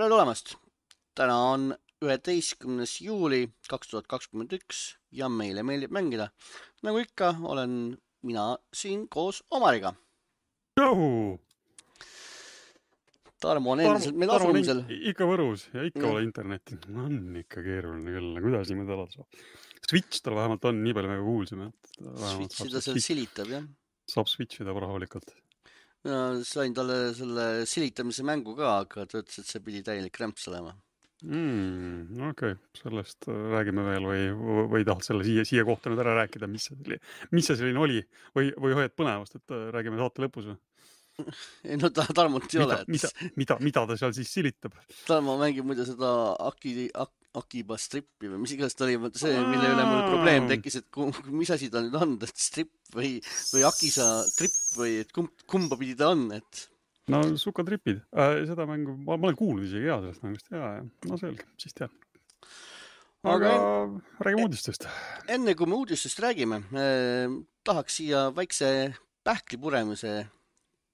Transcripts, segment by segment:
Tere tulemast! Täna on 11. juuli 2021 ja meile meeldib mängida. Nagu ikka, olen mina siin koos Omariga. Tšau! Tarmo on endiselt meil Tarmo on asumisel. ikka Võrus ja ikka ole internetti. On ikka keeruline küll. Kuidas niimoodi alati saab? Switch tal vähemalt on, nii palju me kuulsime. Switchida seal silitab, jah? Saab switchida rahulikult. Sain talle selle silitamise mängu ka, aga ta ütles, et see pidi täielik rämps olema. Okei, sellest räägime veel või tahad selle siia kohta nüüd ära rääkida, mis see selline oli või hoiad põnevast, et räägime saate lõpus või? Ei, no Tarmot ei ole. Mida ta seal siis silitab? Tarmo mängib muide seda Akiba strippi või mis iganes ta oli, see, mille üle mul probleem tekkis, et mis asi ta nüüd on, et strip või Akisa trip või et kumba pidi ta on, et... No sukatripid. Seda mängu, ma olen kuulnud isegi sellest mängust. No selge, siis tean. Aga räägime uudistest. Enne kui me uudistest räägime, tahaks siia väikse pähklipuremise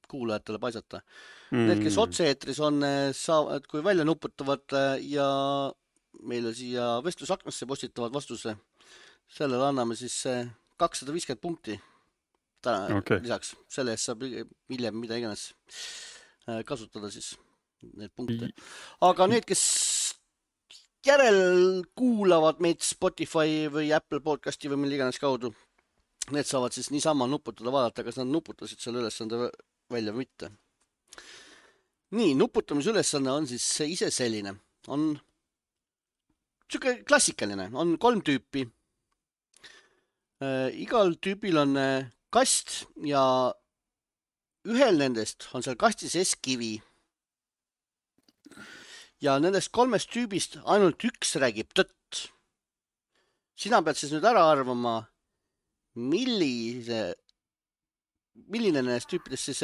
kuulajatele paisata. Need, kes otse-eetris on, saavad, kui välja nuputavad ja meile siia vestlusaknasse postitavad vastuse, sellele anname siis 250 punkti täna lisaks. Selle eest saab hiljem mida iganes kasutada siis need punkte. Aga need, kes järel kuulavad meid Spotify või Apple podcasti või mille iganes kaudu, need saavad siis niisama nuputada, vaadata, kas nad nuputasid selle ülesande välja või mitte. Nii, nuputamise ülesanne on siis ise selline. On siuke klassikaline. On 3 tüüpi. Igal tüübil on kast ja ühel nendest on seal kastis S-kivi. Ja nendest 3 tüübist ainult üks räägib tõtt. Sina pead siis nüüd ära arvama, milline nendest tüüpidest siis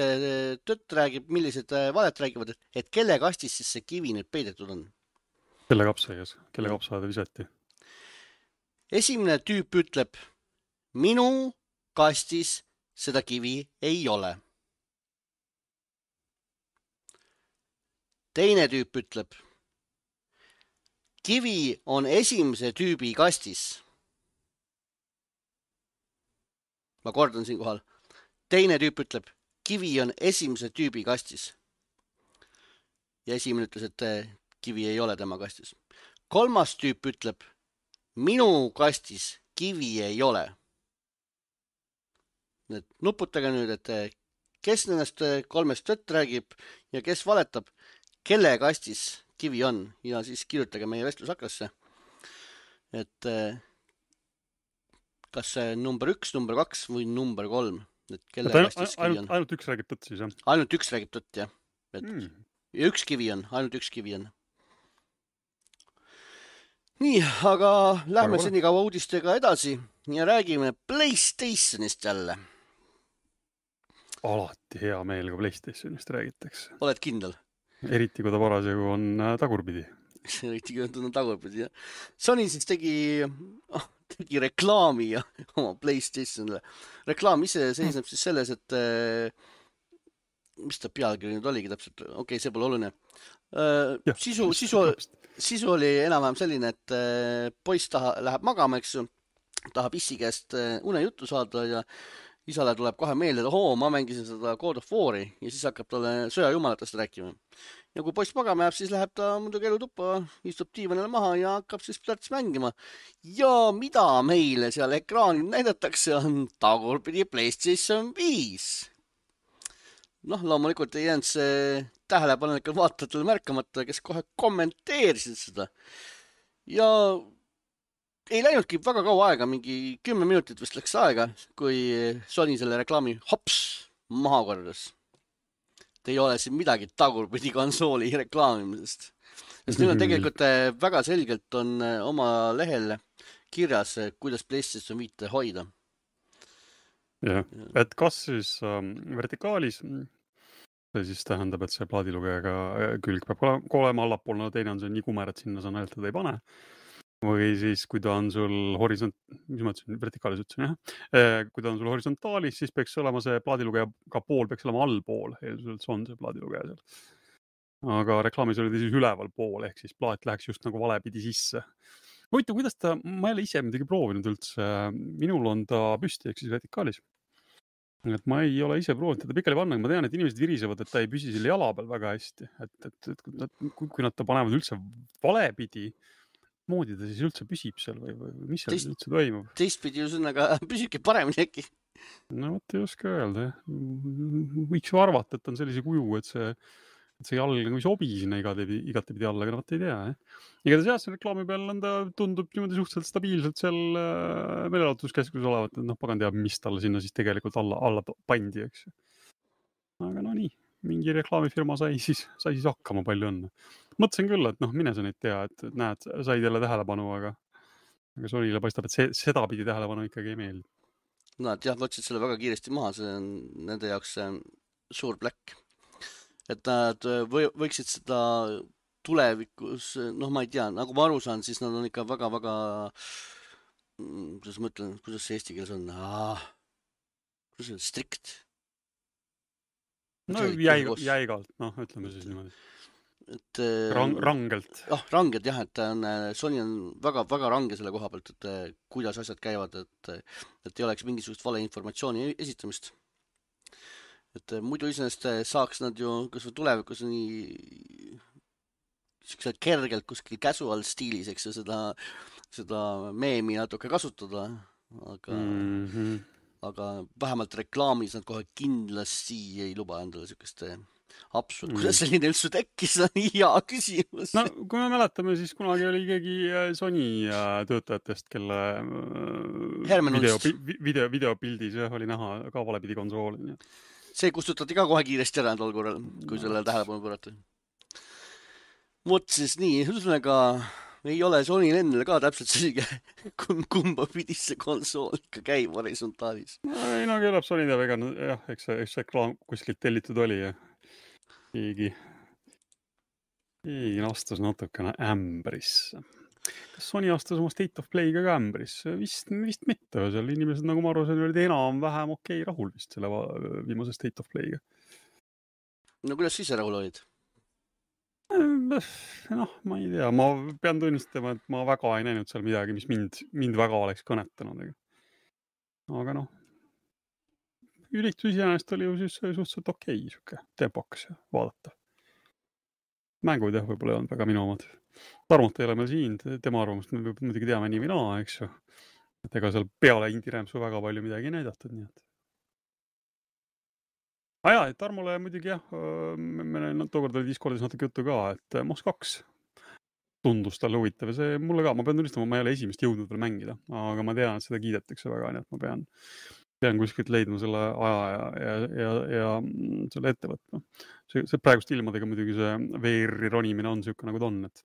tõtt räägib, millised valet räägivad, et kelle kastis siis see kivi nüüd peidetud on. Kelle kapsaaeda visati? Esimene tüüp ütleb, minu kastis seda kivi ei ole. Teine tüüp ütleb, kivi on esimese tüübi kastis. Ma kordan siin kohal. Teine tüüp ütleb, kivi on esimese tüübi kastis. Ja esimene ütles, et kivi ei ole tema kastis. Kolmas tüüp ütleb, minu kastis kivi ei ole. Nuputage nüüd, et kes nendest 3 tõtt räägib ja kes valetab, kelle kastis kivi on. Ja siis kirjutage meie vestlusaklasse, et kas see number 1, number 2 või number 3. Ainult üks räägib tõtt siis, jah? Ainult üks räägib tõtt, jah. Ja üks kivi on, ainult üks kivi on. Nii, aga lähme senikaua uudistega edasi ja räägime PlayStationist jälle. Alati hea meel, kui PlayStationist räägitakse. Oled kindel? Eriti, kui ta parasjagu on tagurpidi. Eriti, kui ta on tagurpidi, jah. Sony siis tegi reklaami oma PlayStationile. Reklaam ise seisneb siis selles, et mis ta pealkiri nüüd oligi täpselt? Okei, see pole oluline. Sisu oli enam-vähem selline, et poiss läheb magama, eks ju, tahab issi käest unejuttu saada ja isale tuleb kohe meelde, et ma mängisin seda God of War'i ja siis hakkab talle sõjajumalatest rääkima. Ja kui poiss magama jääb, siis läheb ta muidugi elutuppa, istub diivanile maha ja hakkab siis plärts mängima. Ja mida meile seal ekraanil näidatakse on tagurpidi PlayStation 5. Loomulikult ei jäänud see tähelepanelikel vaatajatele märkamata, kes kohe kommenteerisid seda. Ja ei läinudki väga kaua aega, mingi 10 minutit vist läks aega, kui Sony selle reklaami hops maha kordas. Ei ole siin midagi tagurpidi konsooli reklaamimisest. Sest nüüd on tegelikult väga selgelt on oma lehel kirjas, kuidas PlayStation 5 hoida. Jah, et kas siis vertikaalis, see siis tähendab, et see plaadilugejaga külg peab olema allapool, no teine on see nii kumer, et sinna sa näeltada ei pane. Või siis, kui ta on sul vertikaalis ütlesin, jah. Kui ta on sul horisontaalis, siis peaks olema see plaadilugeja ka pool, peaks olema allpool. Eelduselt on see plaadilugeja seal. aga reklaamis oli ta siis üleval pool, ehk siis plaat läheks just nagu valepidi sisse. Huvitav, kuidas ta, ma ei ole ise midagi proovinud üldse, minul on ta püsti, ehk siis vertikaalis. Et ma ei ole ise proovinud teda pikali panna, ma tean, et inimesed virisevad, et ta ei püsi selle jala peal väga hästi, et kui nad ta panevad üldse valepidi, moodi ta siis üldse püsib seal või mis seal üldse toimub? Teistpidi ju sõnaga püsibki paremini äkki. No vot ei oska öelda, võiks ju arvata, et on sellise kuju, et see jalg nagu ei sobi sinna igatepidi alla, aga vot ei tea. Igatahes jah, see reklaami peal on ta tundub niimoodi suhteliselt stabiilselt seal meelelahutuskeskuses olevat, et pagan teab, mis talle sinna siis tegelikult alla pandi, eks. Aga no nii, mingi reklaamifirma sai siis hakkama, palju õnne. Mõtlesin küll, et mine sa neid tea, et näed, said jälle tähelepanu, aga Sonyle paistab, et seda pidi tähelepanu ikkagi ei meeldi. Nad jah, võtsid selle väga kiiresti maha, see on nende jaoks suur pläkk. Et nad võiksid seda tulevikus, ma ei tea, nagu ma aru saan, siis nad on ikka väga-väga, kuidas ma ütlen, kuidas see eesti keeles on? Kuidas see on? Strict? No jäigalt, ütleme siis niimoodi. Rangelt. Rangelt jah, et Sony on väga-väga range selle koha pealt, et kuidas asjad käivad, et ei oleks mingisugust valeinformatsiooni esitamist. Et muidu iseenesest saaks nad ju kas või tulevikus nii siukselt kergelt kuskil casual stiilis, eks ju, seda meemi natuke kasutada, aga vähemalt reklaamis nad kohe kindlasti ei luba endale siukest absurd. Kuidas selline üldse tekkis, on hea küsimus. No, kui me mäletame, siis kunagi oli keegi Sony töötajatest, kelle videopildis oli näha ka valepidi konsool. See kustutati ka kohe kiiresti ära tol korral, kui sellele tähelepanu pöörati. Vot siis nii, ühesõnaga ei ole Sonyl endale ka täpselt selge, kumba pidi see konsool ikka käib horisontaalis. Ei, keelab Sony teab, jah, eks see reklaam kuskilt tellitud oli ja keegi astus natukene ämbrisse. Kas Sony astus oma State of Play'ga ka ämbrisse? Vist mitte. Seal inimesed, nagu ma aru sain, olid enam-vähem rahul vist selle viimase State of Play'ga. No kuidas siis rahul olid? Ma ei tea. Ma pean tunnistama, et ma väga ei näinud seal midagi, mis mind väga oleks kõnetanud. Aga üritus iseenesest oli ju siis suhteliselt okei, siuke tempokas vaadata. Mängud jah, võib-olla ei olnud väga minu omad. Tarmot ei ole meil siin, tema arvamust me muidugi teame nii või naa, eks ju. Et ega seal peale Indie-Rämpsu väga palju midagi ei näidatud, nii et. Et Tarmole muidugi jah, meil tookord oli Discordis natuke juttu ka, et Moss 2 tundus talle huvitav ja see mulle ka, ma pean tunnistama, ma ei ole esimest jõudnud veel mängida, aga ma tean, et seda kiidetakse väga, nii et ma pean kuskilt leidma selle aja ja selle ette võtma. See praegust ilmadega muidugi see VR-i ronimine on siuke nagu ta on, et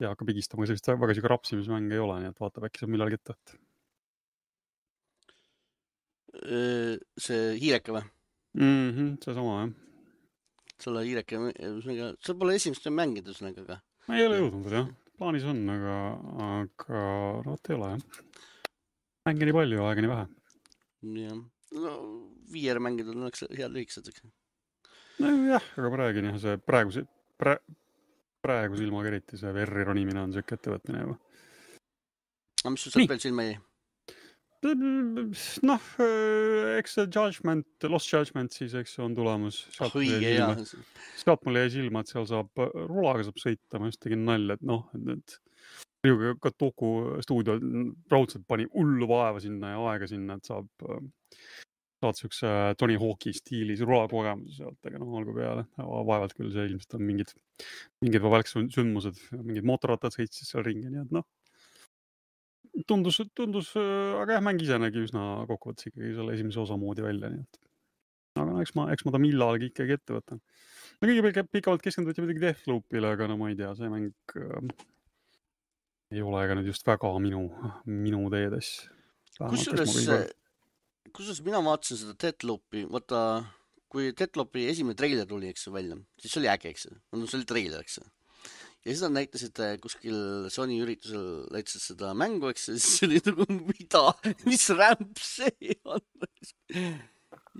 ja hakkab higistama, sellist väga siuke rapsimismänge ei ole, nii et vaatab äkki saab millalgi ette võtta. See hiireke või? See sama, jah. Selle hiireke, sa pole esimest mängida üsnega? Ma ei ole jõudnud, jah. Plaanis on, aga ei ole, jah. Mänge nii palju, aega nii vähe. Jah. No, VR mängida on head lühikesed. Jah, aga praegine see praeguse ilmaga eriti see VR-i ronimine on siuke ettevõtmine juba. Aga mis sul sealt veel silma jäi? Eks see Lost Judgment siis, eks on tulemus. Sealt mul jäi silma, et seal rulaga saab sõita, ma just tegin nalja, et ka Toku stuudio raudselt pani hullu vaeva sinna ja aega sinna, et saad siukse Tony Hawk'i stiilis rulakogemuse sealt, aga olgu peale. Vaevalt küll see ilmselt on mingid sündmused, mingid mootorrattad sõitsid seal ringi, nii et tundus, aga jah, mäng ise nägi üsna kokkuvõttes ikkagi selle esimese osa moodi välja, nii et. Aga eks ma ta millalgi ikkagi ette võtan. Kõige pikavalt keskenduti muidugi Deathloopile, aga ma ei tea, see mäng ei ole ega nüüd just väga minu teedes. Kusjuures mina vaatasin seda Deathloopi, vaata, kui Deathloopi esimene treiler tuli, eks välja, siis see oli äge, eks. See oli treiler, eks. Ja siis nad näitasid kuskil Sony üritusel näitasid seda mängu, eks, siis see oli nagu, mida, mis rämp see on.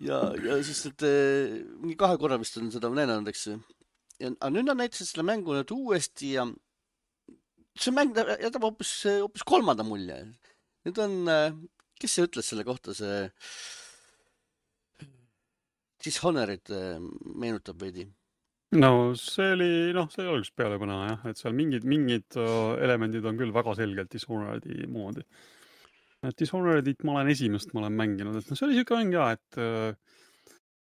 Ja siis, et mingi 2 korra vist on seda näidanud, eks. aga nüüd nad näitasid selle mängu nüüd uuesti ja see mäng jätab hoopis kolmanda mulje. Nüüd on, kes see ütles selle kohta, see Dishonored meenutab veidi. No see oli üks pealepõne jah, et seal mingid elemendid on küll väga selgelt Dishonoredi moodi. Et Dishonoredit ma olen mänginud, et see oli siuke mäng ja,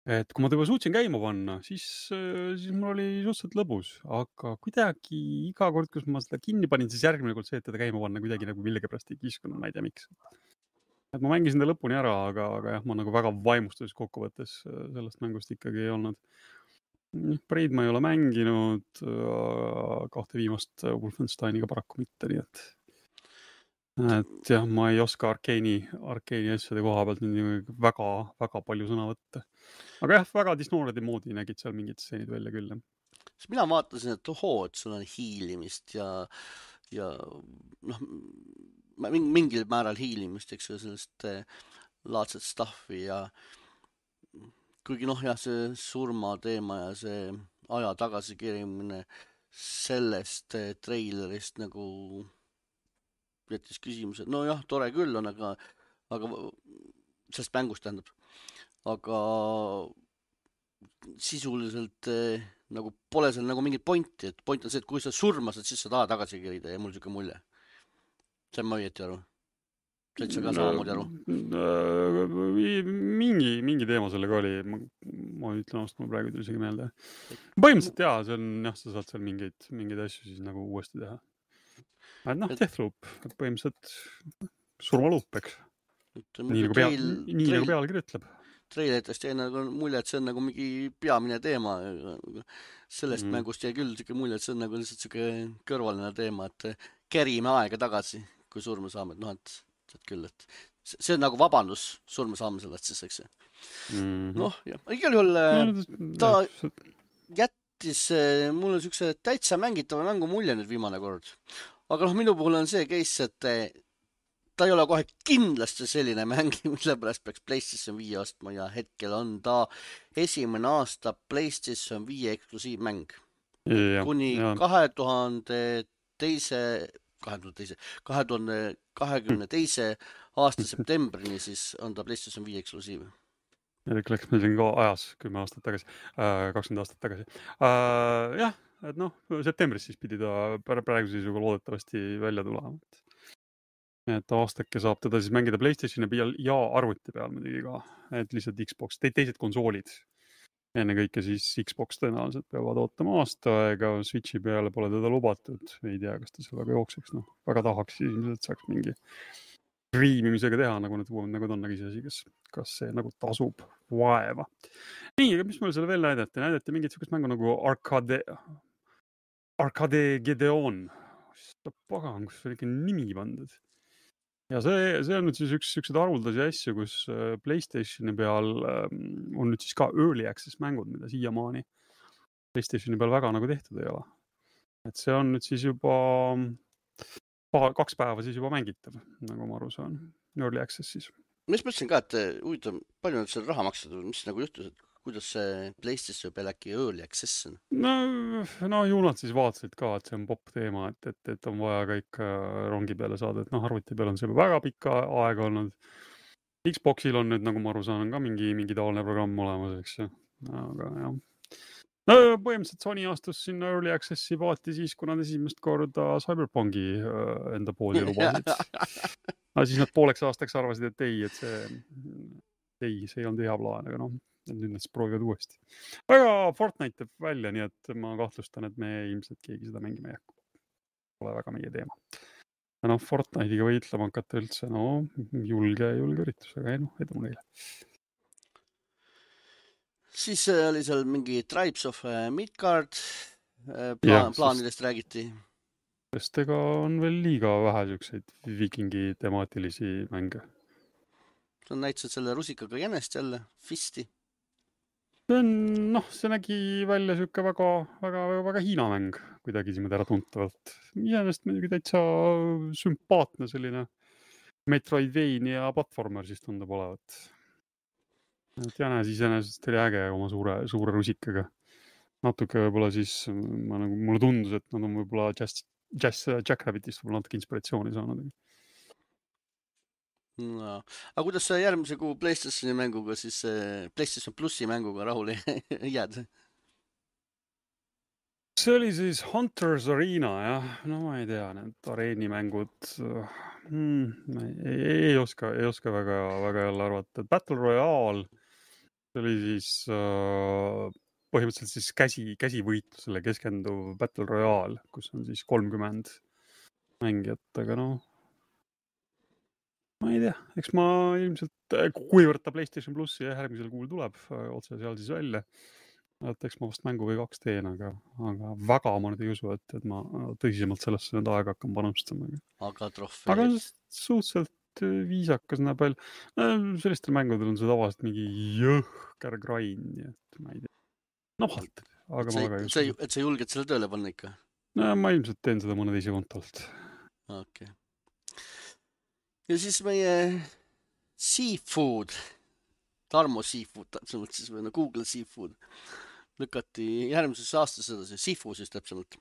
et kui ma juba suutsin käima panna, siis mul oli suhteliselt lõbus, aga kuidagi iga kord, kus ma seda kinni panin, siis järgmine kord see, et teda käima panna kuidagi nagu millegipärast ei kiskunud, ma ei tea miks. Et ma mängisin ta lõpuni ära, aga jah, ma nagu väga vaimustus kokkuvõttes sellest mängust ikkagi ei olnud. Braid ma ei ole mänginud, 2 viimast Wolfensteiniga paraku mitte, nii et jah, ma ei oska Arkeeni asjade koha pealt nüüd väga palju sõna võtta. Aga jah, väga Dishonoredi moodi nägid seal mingid stseenid välja küll. Siis mina vaatasin, et et sul on hiilimist ja mingil määral hiilimist, eks ju, sellest laadset stuffi ja kuigi see surma teema ja see aja tagasikirimine sellest treilerist nagu jättis küsimuse, tore küll on, aga sellest mängust tähendab, aga sisuliselt nagu pole seal nagu mingit pointi, et point on see, et kui sa surmasid, siis sa tahad tagasi kirida ja mul siuke mulje. Sain ma õieti aru? Said sa ka samamoodi aru? Mingi teema sellega oli, ma ütlen ausalt, ma praegu isegi meelde. Põhimõtteliselt jaa, see on jah, sa saad seal mingeid asju siis nagu uuesti teha. Et Deathloop, põhimõtteliselt surmaluup, eks. Nii nagu pealkiri ütleb. Treiletest jäi nagu mulje, et see on nagu mingi peamine teema. Sellest mängust jäi küll siuke mulje, et see on nagu lihtsalt siuke kõrvaline teema, et kerime aega tagasi, kui surma saame. Et küll, et see on nagu vabandus surma saame sellest siis, eks. Igal juhul ta jättis mulle siukse täitsa mängitava mängu mulje nüüd viimane kord. Aga minu puhul on see case, et ta ei ole kohe kindlasti selline mäng, mille pärast peaks PlayStation 5 ostma ja hetkel on ta esimene aasta PlayStation 5 eksklusiivmäng. Kuni 2022 aasta septembrini siis on ta PlayStation 5 eksklusiiv. Erik läks meil siin ka ajas 10 aastat tagasi, 20 aastat tagasi. Jah, et septembris siis pidi ta praegu seisuga loodetavasti välja tulema. Et aastake saab teda siis mängida PlayStationi peal ja arvuti peal muidugi ka, et lihtsalt Xbox, teised konsoolid. Enne kõike siis Xbox tõenäoliselt peavad ootama aasta aega, Switchi peale pole teda lubatud, ei tea, kas ta seal väga jookseks, väga tahaks ilmselt saaks mingi riimimisega teha, nagu need uued nägud on nägis, kas see nagu tasub vaeva. Nii, aga mis mulle selle veel näidati? Näidati mingit sükest mängu nagu Arcade Gedeon. Pagan, kus oli ikka nimi pandud. Ja see on nüüd siis üks haruldasi asju, kus PlayStationi peal on nüüd siis ka early access mängud, mida siiamaani PlayStationi peal väga nagu tehtud ei ole. Et see on nüüd siis juba 2 päeva siis juba mängitav, nagu ma aru saan. Early access siis. Ma mõtlesin ka, et huvitav, palju nüüd seal raha maksad, mis nagu juhtus, et kuidas see PlayStation peal äkki early access on? No ju nad siis vaatasid ka, et see on popp teema, et on vaja kõik rongi peale saada, et arvuti peal on see väga pikka aega olnud. Xboxil on nüüd, nagu ma aru saan, ka mingi taoline programm olemas, eks ju. Aga jah. Põhimõtteliselt Sony astus sinna early accessi paati siis, kui nad esimest korda Cyberpunki enda poodi lubasid. Aga siis nad pooleks aastaks arvasid, et ei, see ei olnud hea plaan, aga nüüd nad siis proovivad uuesti. Aga Fortnite teeb välja, nii et ma kahtlustan, et me ilmselt keegi seda mängima ei hakka. Pole väga meie teema. Ja Fortnite'iga võitlema hakata üldse, julge üritus, aga edu neile. Siis oli seal mingi Tribes of Midgard plaanidest räägiti. Sest ega on veel liiga vähe siukseid vikingi temaatilisi mänge. Sa näitasid selle rusikaga jänest jälle, Fisti. See nägi välja siuke väga Hiina mäng kuidagi siin ära tuntavalt. Iseenesest muidugi täitsa sümpaatne selline Metroidvania platformer siis tundub olevat. Et jänes iseenesest oli äge oma suure rusikaga. natuke võib-olla siis mulle tundus, et nad on võib-olla Jackrabbitist võib-olla natuke inspiratsiooni saanud. No. Aga kuidas sa järgmise kuu PlayStationi mänguga siis PlayStation Plussi mänguga rahule jääd? See oli siis Hunters Arena, jah. No ma ei tea, need areenimängud ei oska väga jälle arvata. Battle Royale, see oli siis põhimõtteliselt siis käsivõitlusele keskenduv Battle Royale, kus on siis 30 mängijat, aga noh, ma ei tea, eks ma ilmselt, kuivõrd ta PlayStation Plussi järgmisel kuul tuleb otse seal siis välja, et eks ma vast mängu või 2 teen, aga väga ma nüüd ei usu, et ma tõsisemalt sellesse nüüd aega hakkan panustama. Aga trofeed? Aga suhteliselt viisakas näeb veel. Sellistel mängudel on see tavaliselt mingi jõhker grind, et ma ei tea. Vahelt, aga ma väga ei usu. Et sa julged selle tööle panna ikka? No, ma ilmselt teen seda mõne teise kontolt. Okay. Ja siis meie Seafood, Tarmo Seafood, täpsemalt siis või no Google Seafood, lükati järgmises aastas edasi, Sifu siis täpsemalt.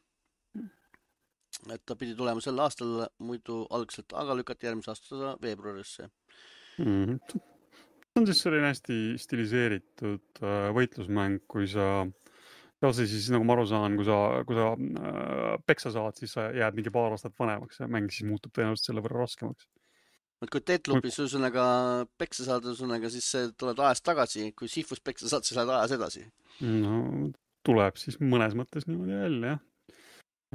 Et ta pidi tulema sel aastal muidu algselt, aga lükati järgmise aasta veebruarisse. See on siis selline hästi stiliseeritud võitlusmäng, kui sa siis nagu ma aru saan, kui sa peksa saad, siis sa jääd mingi paar aastat vanemaks ja mäng siis muutub tõenäoliselt selle võrra raskemaks. Et kui Deathloopis ühesõnaga peksa saad, ühesõnaga siis tuled ajas tagasi, kui Sifus peksa saad, siis lähed ajas edasi. No tuleb siis mõnes mõttes niimoodi välja, jah.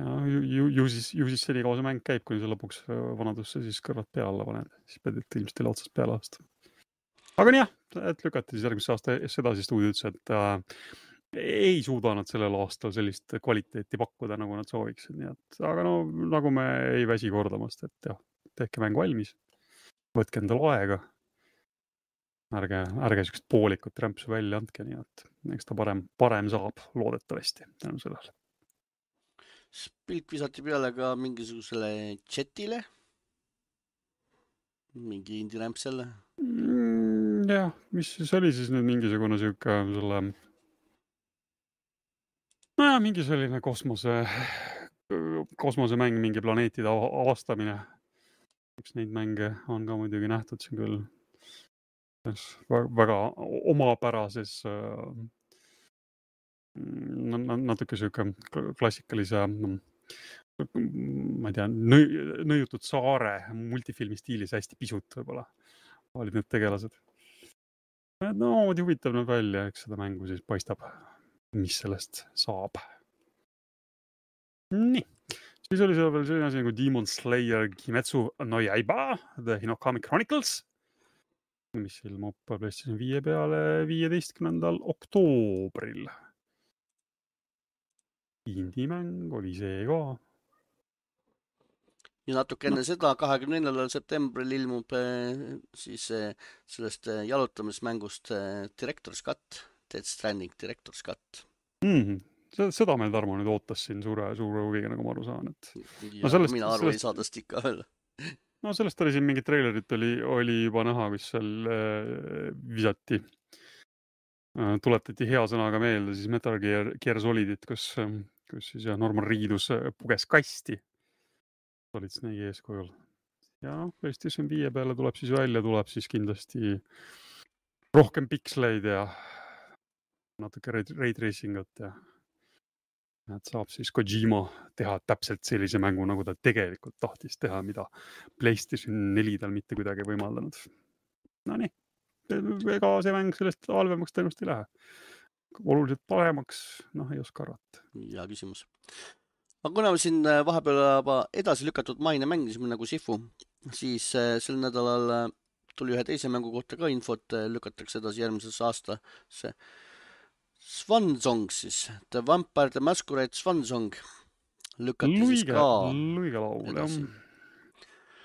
Ja ju siis senikaua see mäng käib, kuni sa lõpuks vanadusse siis kõrvad peale paned, siis pead ilmselt teile otsast peale aastama. Aga nii jah, et lükati siis järgmise aasta sedasi stuudio ütles, et ei suuda nad sellel aastal sellist kvaliteeti pakkuda, nagu nad sooviksid. Nii et, aga no nagu me ei väsi kordamast, et jah, tehke mäng valmis, võtke endal aega, ärge sükest poolikut rämpsu välja andke, nii et eks ta parem saab loodetavasti tänu sellele. Pilk visati peale ka mingisugusele chatile, mingi indie-rämp selle. Jah, mis siis oli siis nüüd mingisugune siuke selle mingi selline kosmosemäng, mingi planeetide avastamine. Üks neid mänge on ka muidugi nähtud siin küll väga omapärases natuke siuke klassikalise ma ei tea, nõjutud saare multifilmi stiilis hästi pisut võib-olla olid need tegelased. No, huvitav näeb välja, eks seda mängu siis paistab, mis sellest saab. Nii, siis oli seal veel selline asi nagu Demon Slayer Kimetsu no Yaiba, The Hinokami Chronicles, mis ilmub PlayStation 5 peale 15. oktoobril. Indie-mäng oli see ka. Ja natuke enne seda 24. septembril ilmub siis sellest jalutamismängust Director's Cut, Death Stranding Director's Cut. Seda meil Tarmo nüüd ootas siin suure huviga, nagu ma aru saan. Mina aru ei saadast ikka veel. No sellest oli siin mingi trailerit oli juba näha, kus seal visati. Tuletati hea sõnaga meelde siis Metal Gear Solidit, kus siis Norman Reedus puges kasti. Solid Snake'i eeskujul. Ja PlayStation 5 peale tuleb siis välja, tuleb siis kindlasti rohkem piksleid ja natuke ray tracingut ja et saab siis Kojima teha täpselt sellise mängu, nagu ta tegelikult tahtis teha, mida PlayStation 4 tal mitte kuidagi võimaldanud. No nii, ega see mäng sellest halvemaks tõenäoliselt ei lähe. Oluliselt paremaks, ei oska arvata. Hea küsimus. Aga kuna me siin vahepeal edasi lükatud maine mängisime nagu Sifu, siis sel nädalal tuli ühe teise mängu kohta ka infot, lükatakse edasi järgmises aastasse. Swan Song siis, The Vampire the Masquerade Swan Song lükati siis ka Luigelaul, jah.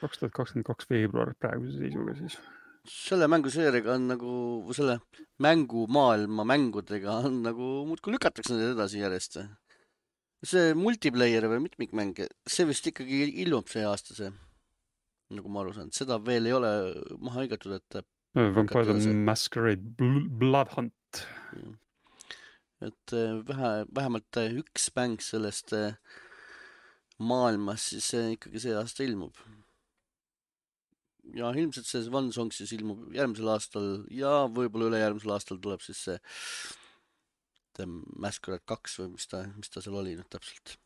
2022 veebruar praeguse seisuga siis. Selle mänguseeriga on nagu, selle mängumaailma mängudega on nagu muudkui lükatakse need edasi järjest. See multiplayer või mitmikmäng, see vist ikkagi ilmub see aasta see, nagu ma aru saan. Seda veel ei ole maha hõigatud, et Vampire the Masquerade Blood Hunt. et vähemalt üks mäng sellest maailmas siis ikkagi see aasta ilmub. Ja ilmselt see One Song siis ilmub järgmisel aastal ja võib-olla ülejärgmisel aastal tuleb siis see The Masquerade 2 või mis ta seal oli nüüd täpselt.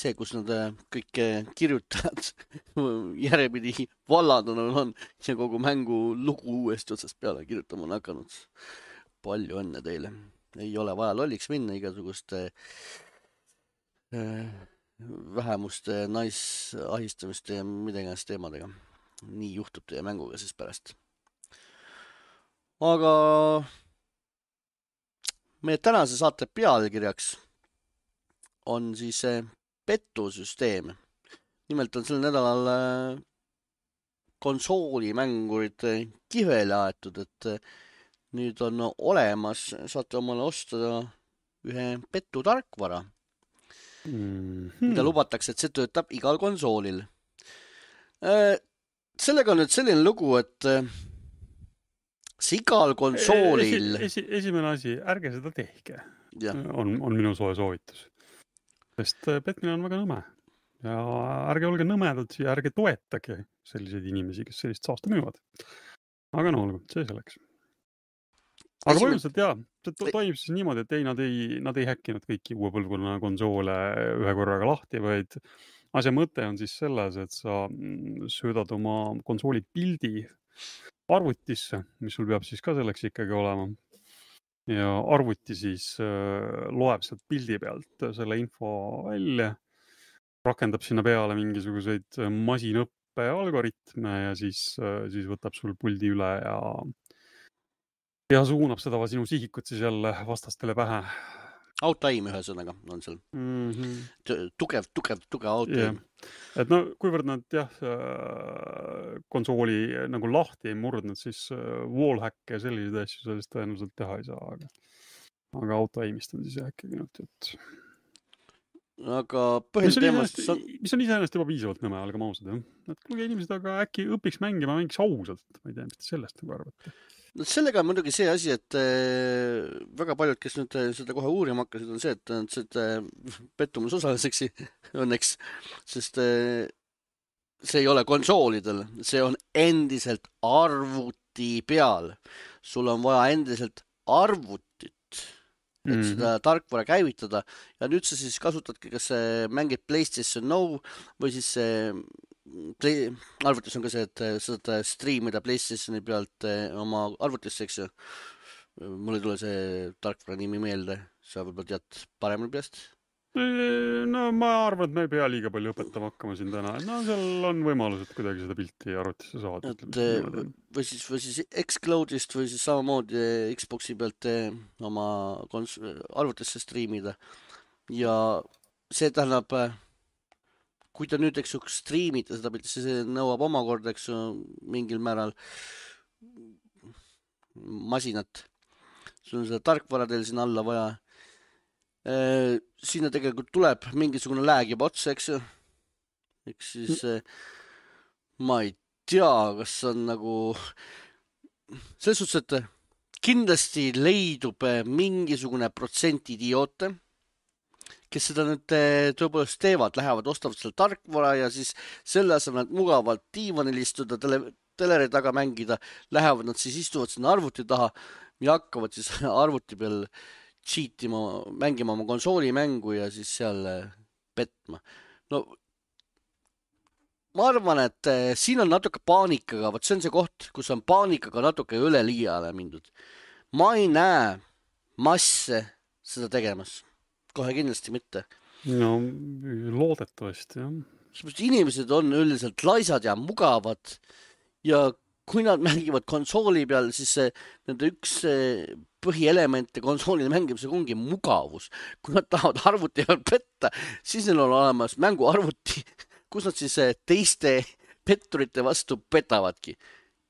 See, kus nad kõik kirjutajad järjepidi vallandunud on ja kogu mängu lugu uuesti otsast peale kirjutama on hakanud. Palju õnne teile. Ei ole vaja lolliks minna igasuguste vähemuste, naisahistamiste ja midagi teemadega. Nii juhtub teie mänguga siis pärast. Aga meie tänase saate pealkirjaks on siis petusüsteem. Nimelt on sel nädalal konsoolimängurid kihvele aetud, et nüüd on olemas, saate omale osta ühe petutarkvara, mida lubatakse, et see töötab igal konsoolil. Sellega on nüüd selline lugu, et see igal konsoolil... Esimene asi, ärge seda tehke, on minu soe soovitus. Sest petmine on väga nõme. Ja ärge olge nõmedad ja ärge toetage selliseid inimesi, kes sellist saasta müüvad. Aga no olgu, see selleks. Aga põhimõtteliselt jah, see toimub siis niimoodi, et nad ei häkkinud kõiki uue põlvkonna konsoole ühe korraga lahti, vaid asja mõte on siis selles, et sa söödad oma konsooli pildi arvutisse, mis sul peab siis ka selleks ikkagi olema. Ja arvuti siis loeb sealt pildi pealt selle info välja, rakendab sinna peale mingisuguseid masinõppe algoritme ja siis võtab sul puldi üle ja suunab seda sinu sihikut siis jälle vastastele pähe. Auto-aim ühesõnaga on seal. Tugev auto-aim. Et no, kuivõrd nad konsooli nagu lahti ei murdnud, siis wallhack ja selliseid asju sellest tõenäoliselt teha ei saa, aga auto-aimist on siis ikkagi nüüd, et... Aga põhiteemast... Mis on iseenesest juba piisavalt nõme, olgem ausad, jah? Et kuulge inimesed, aga äkki õpiks mängima, mängiks ausalt, ma ei tea, mis te sellest nagu arvate. No sellega on muidugi see asi, et väga paljud, kes nüüd seda kohe uurima hakkasid, on see, et nad seda pettumus osaliseks õnneks, sest see ei ole konsoolidel, see on endiselt arvuti peal. Sul on vaja endiselt arvutit, et seda tarkvara käivitada ja nüüd sa siis kasutadki, kas mängid PlayStation Now või siis arvutis on ka see, et saad streamida PlayStationi pealt oma arvutisse, eks ju. Mul ei tule see tarkvara nimi meelde, sa võib-olla tead paremini peast? No ma arvan, et me ei pea liiga palju õpetama hakkama siin täna. No seal on võimalused kuidagi seda pilti arvutisse saada. Või siis Xcloudist või siis samamoodi Xboxi pealt oma arvutisse streamida. Ja see tähendab... Kui ta nüüd, eks ju, streamida seda pilti, see nõuab omakorda, eks ju, mingil määral masinat. Sul on seda tarkvara teil siin alla vaja. Sinna tegelikult tuleb mingisugune lääg juba otsa, eks ju. Eks siis ma ei tea, kas on nagu... Selles suhtes, et kindlasti leidub mingisugune protsent idioote, kes seda nüüd tõepoolest teevad, lähevad, ostavad selle tarkvara ja siis selle asemel mugavalt diivanil istuda, teleri taga mängida, lähevad nad siis istuvad sinna arvuti taha ja hakkavad siis arvuti peal cheatima, mängima oma konsooli mängu ja siis seal petma. No, ma arvan, et siin on natuke paanikaga, see on see koht, kus on paanikaga natuke üle liiale mindud. Ma ei näe masse seda tegemas. Kohe kindlasti mitte. No, loodetavasti, jah. Sest inimesed on üldiselt laisad ja mugavad ja kui nad mängivad konsooli peal, siis nende üks põhielemente konsoolile mängimisega ongi mugavus. Kui nad tahavad arvuti peal petta, siis neil on olemas mänguarvuti, kus nad siis teiste petturite vastu petavadki.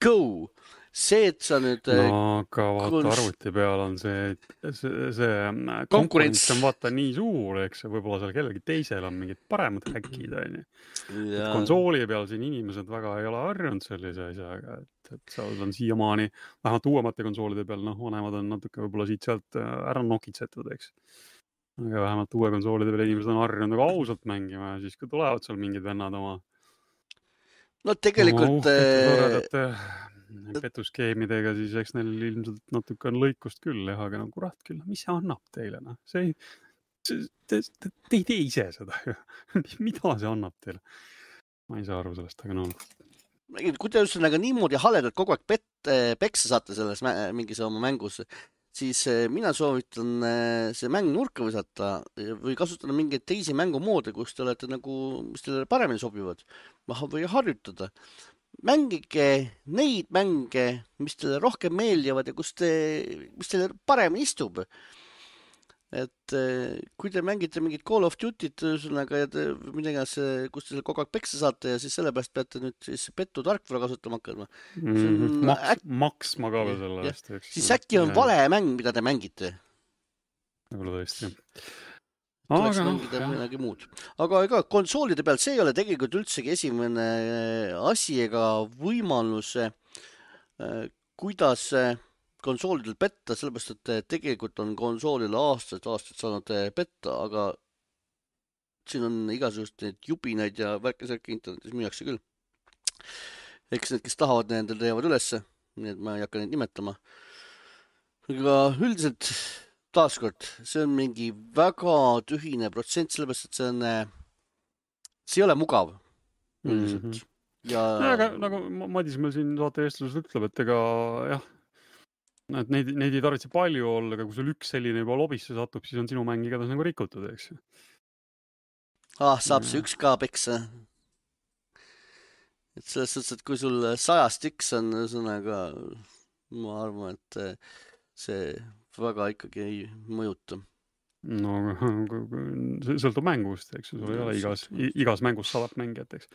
Go! see, et sa nüüd no aga vaata, kons- arvuti peal on see konkurents konkurents on vaata nii suur, eks võib-olla seal kellelgi teisel on mingid paremad häkid, onju. Et ja konsooli peal siin inimesed väga ei ole harjunud sellise asjaga, et seal on siiamaani, vähemalt uuemate konsoolide peal, noh, vanemad on natuke võib-olla siit-sealt ära nokitsetud, eks. Aga vähemalt uue konsoolide peal inimesed on harjunud nagu ausalt mängima ja siis, kui tulevad seal mingid vennad oma no tegelikult uhkete toredate petuskeemidega, siis eks neil ilmselt natuke on lõikust küll, jah, aga no kurat küll, mis see annab teile, noh, te ei tee ise seda ju. Mida see annab teile? Ma ei saa aru sellest, aga no. kui te just niimoodi haledalt kogu aeg peksa saate selles mingis oma mängus, siis mina soovitan see mäng nurka visata või kasutada mingeid teisi mängumoode, kus te olete nagu, mis teile paremini sobivad või harjutada. Mängige neid mänge, mis teile rohkem meeldivad ja mis teile paremini istub. Et kui te mängite mingit Call of Duty't ühesõnaga ja midagi, kus te kogu aeg peksa saate ja siis sellepärast peate nüüd siis pettu tarkvara kasutama hakkama. Maksma ka veel selle eest, eks. Siis äkki on vale mäng, mida te mängite. Võib-olla tõesti, jah. Tuleks mängida midagi muud. Aga ega konsoolide peal see ei ole tegelikult üldsegi esimene asi ega võimalus, kuidas konsoolidel petta, sellepärast, et tegelikult on konsoolile aastaid saanud petta, aga siin on igasugust neid jubinaid ja värkesärki internetis müüakse küll. Eks need, kes tahavad, nendel teevad ülesse, nii et ma ei hakka neid nimetama. Aga üldiselt taaskord, see on mingi väga tühine protsent, sellepärast, et see ei ole mugav üldiselt. Ja... aga nagu Madis meil siin saate eestluses ütleb, et ega jah, et neid ei tarvitse palju olla, aga kui sul üks selline juba lobisse satub, siis on sinu mäng igatahes nagu rikutud, eks. Saab see üks ka peksa. Et selles suhtes, et kui sul 100 üks on sõnaga, ma arvan, et see väga ikkagi ei mõjuta. No see sõltub mängust, eks ju, sul ei ole igas mängus 100 mängijat, eks.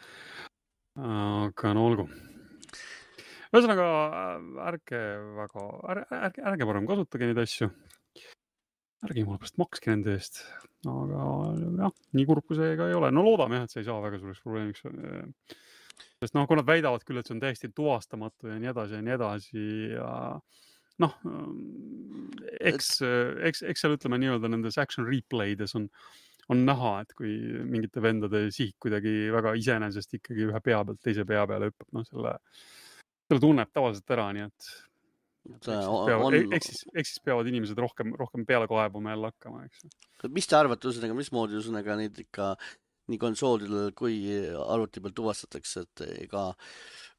Aga no olgu. Ühesõnaga, ärge parem kasutage neid asju. Ärge jumala pärast makske nende eest. Aga jah, nii kurb kui see ka ei ole. No loodame jah, et see ei saa väga suureks probleemiks. Sest kui nad väidavad küll, et see on täiesti tuvastamatu ja nii edasi ja noh, eks seal ütleme nii-öelda nendes action replaydes on näha, et kui mingite vendade sihik kuidagi väga iseenesest ikkagi ühe pea pealt teise pea peale hüppab, selle tunneb tavaliselt ära, nii et eks siis peavad inimesed rohkem peale kaebuma jälle hakkama, eks. Mis te arvate, mismoodi neid ikka nii konsoolidel kui arvuti peal tuvastatakse, et ega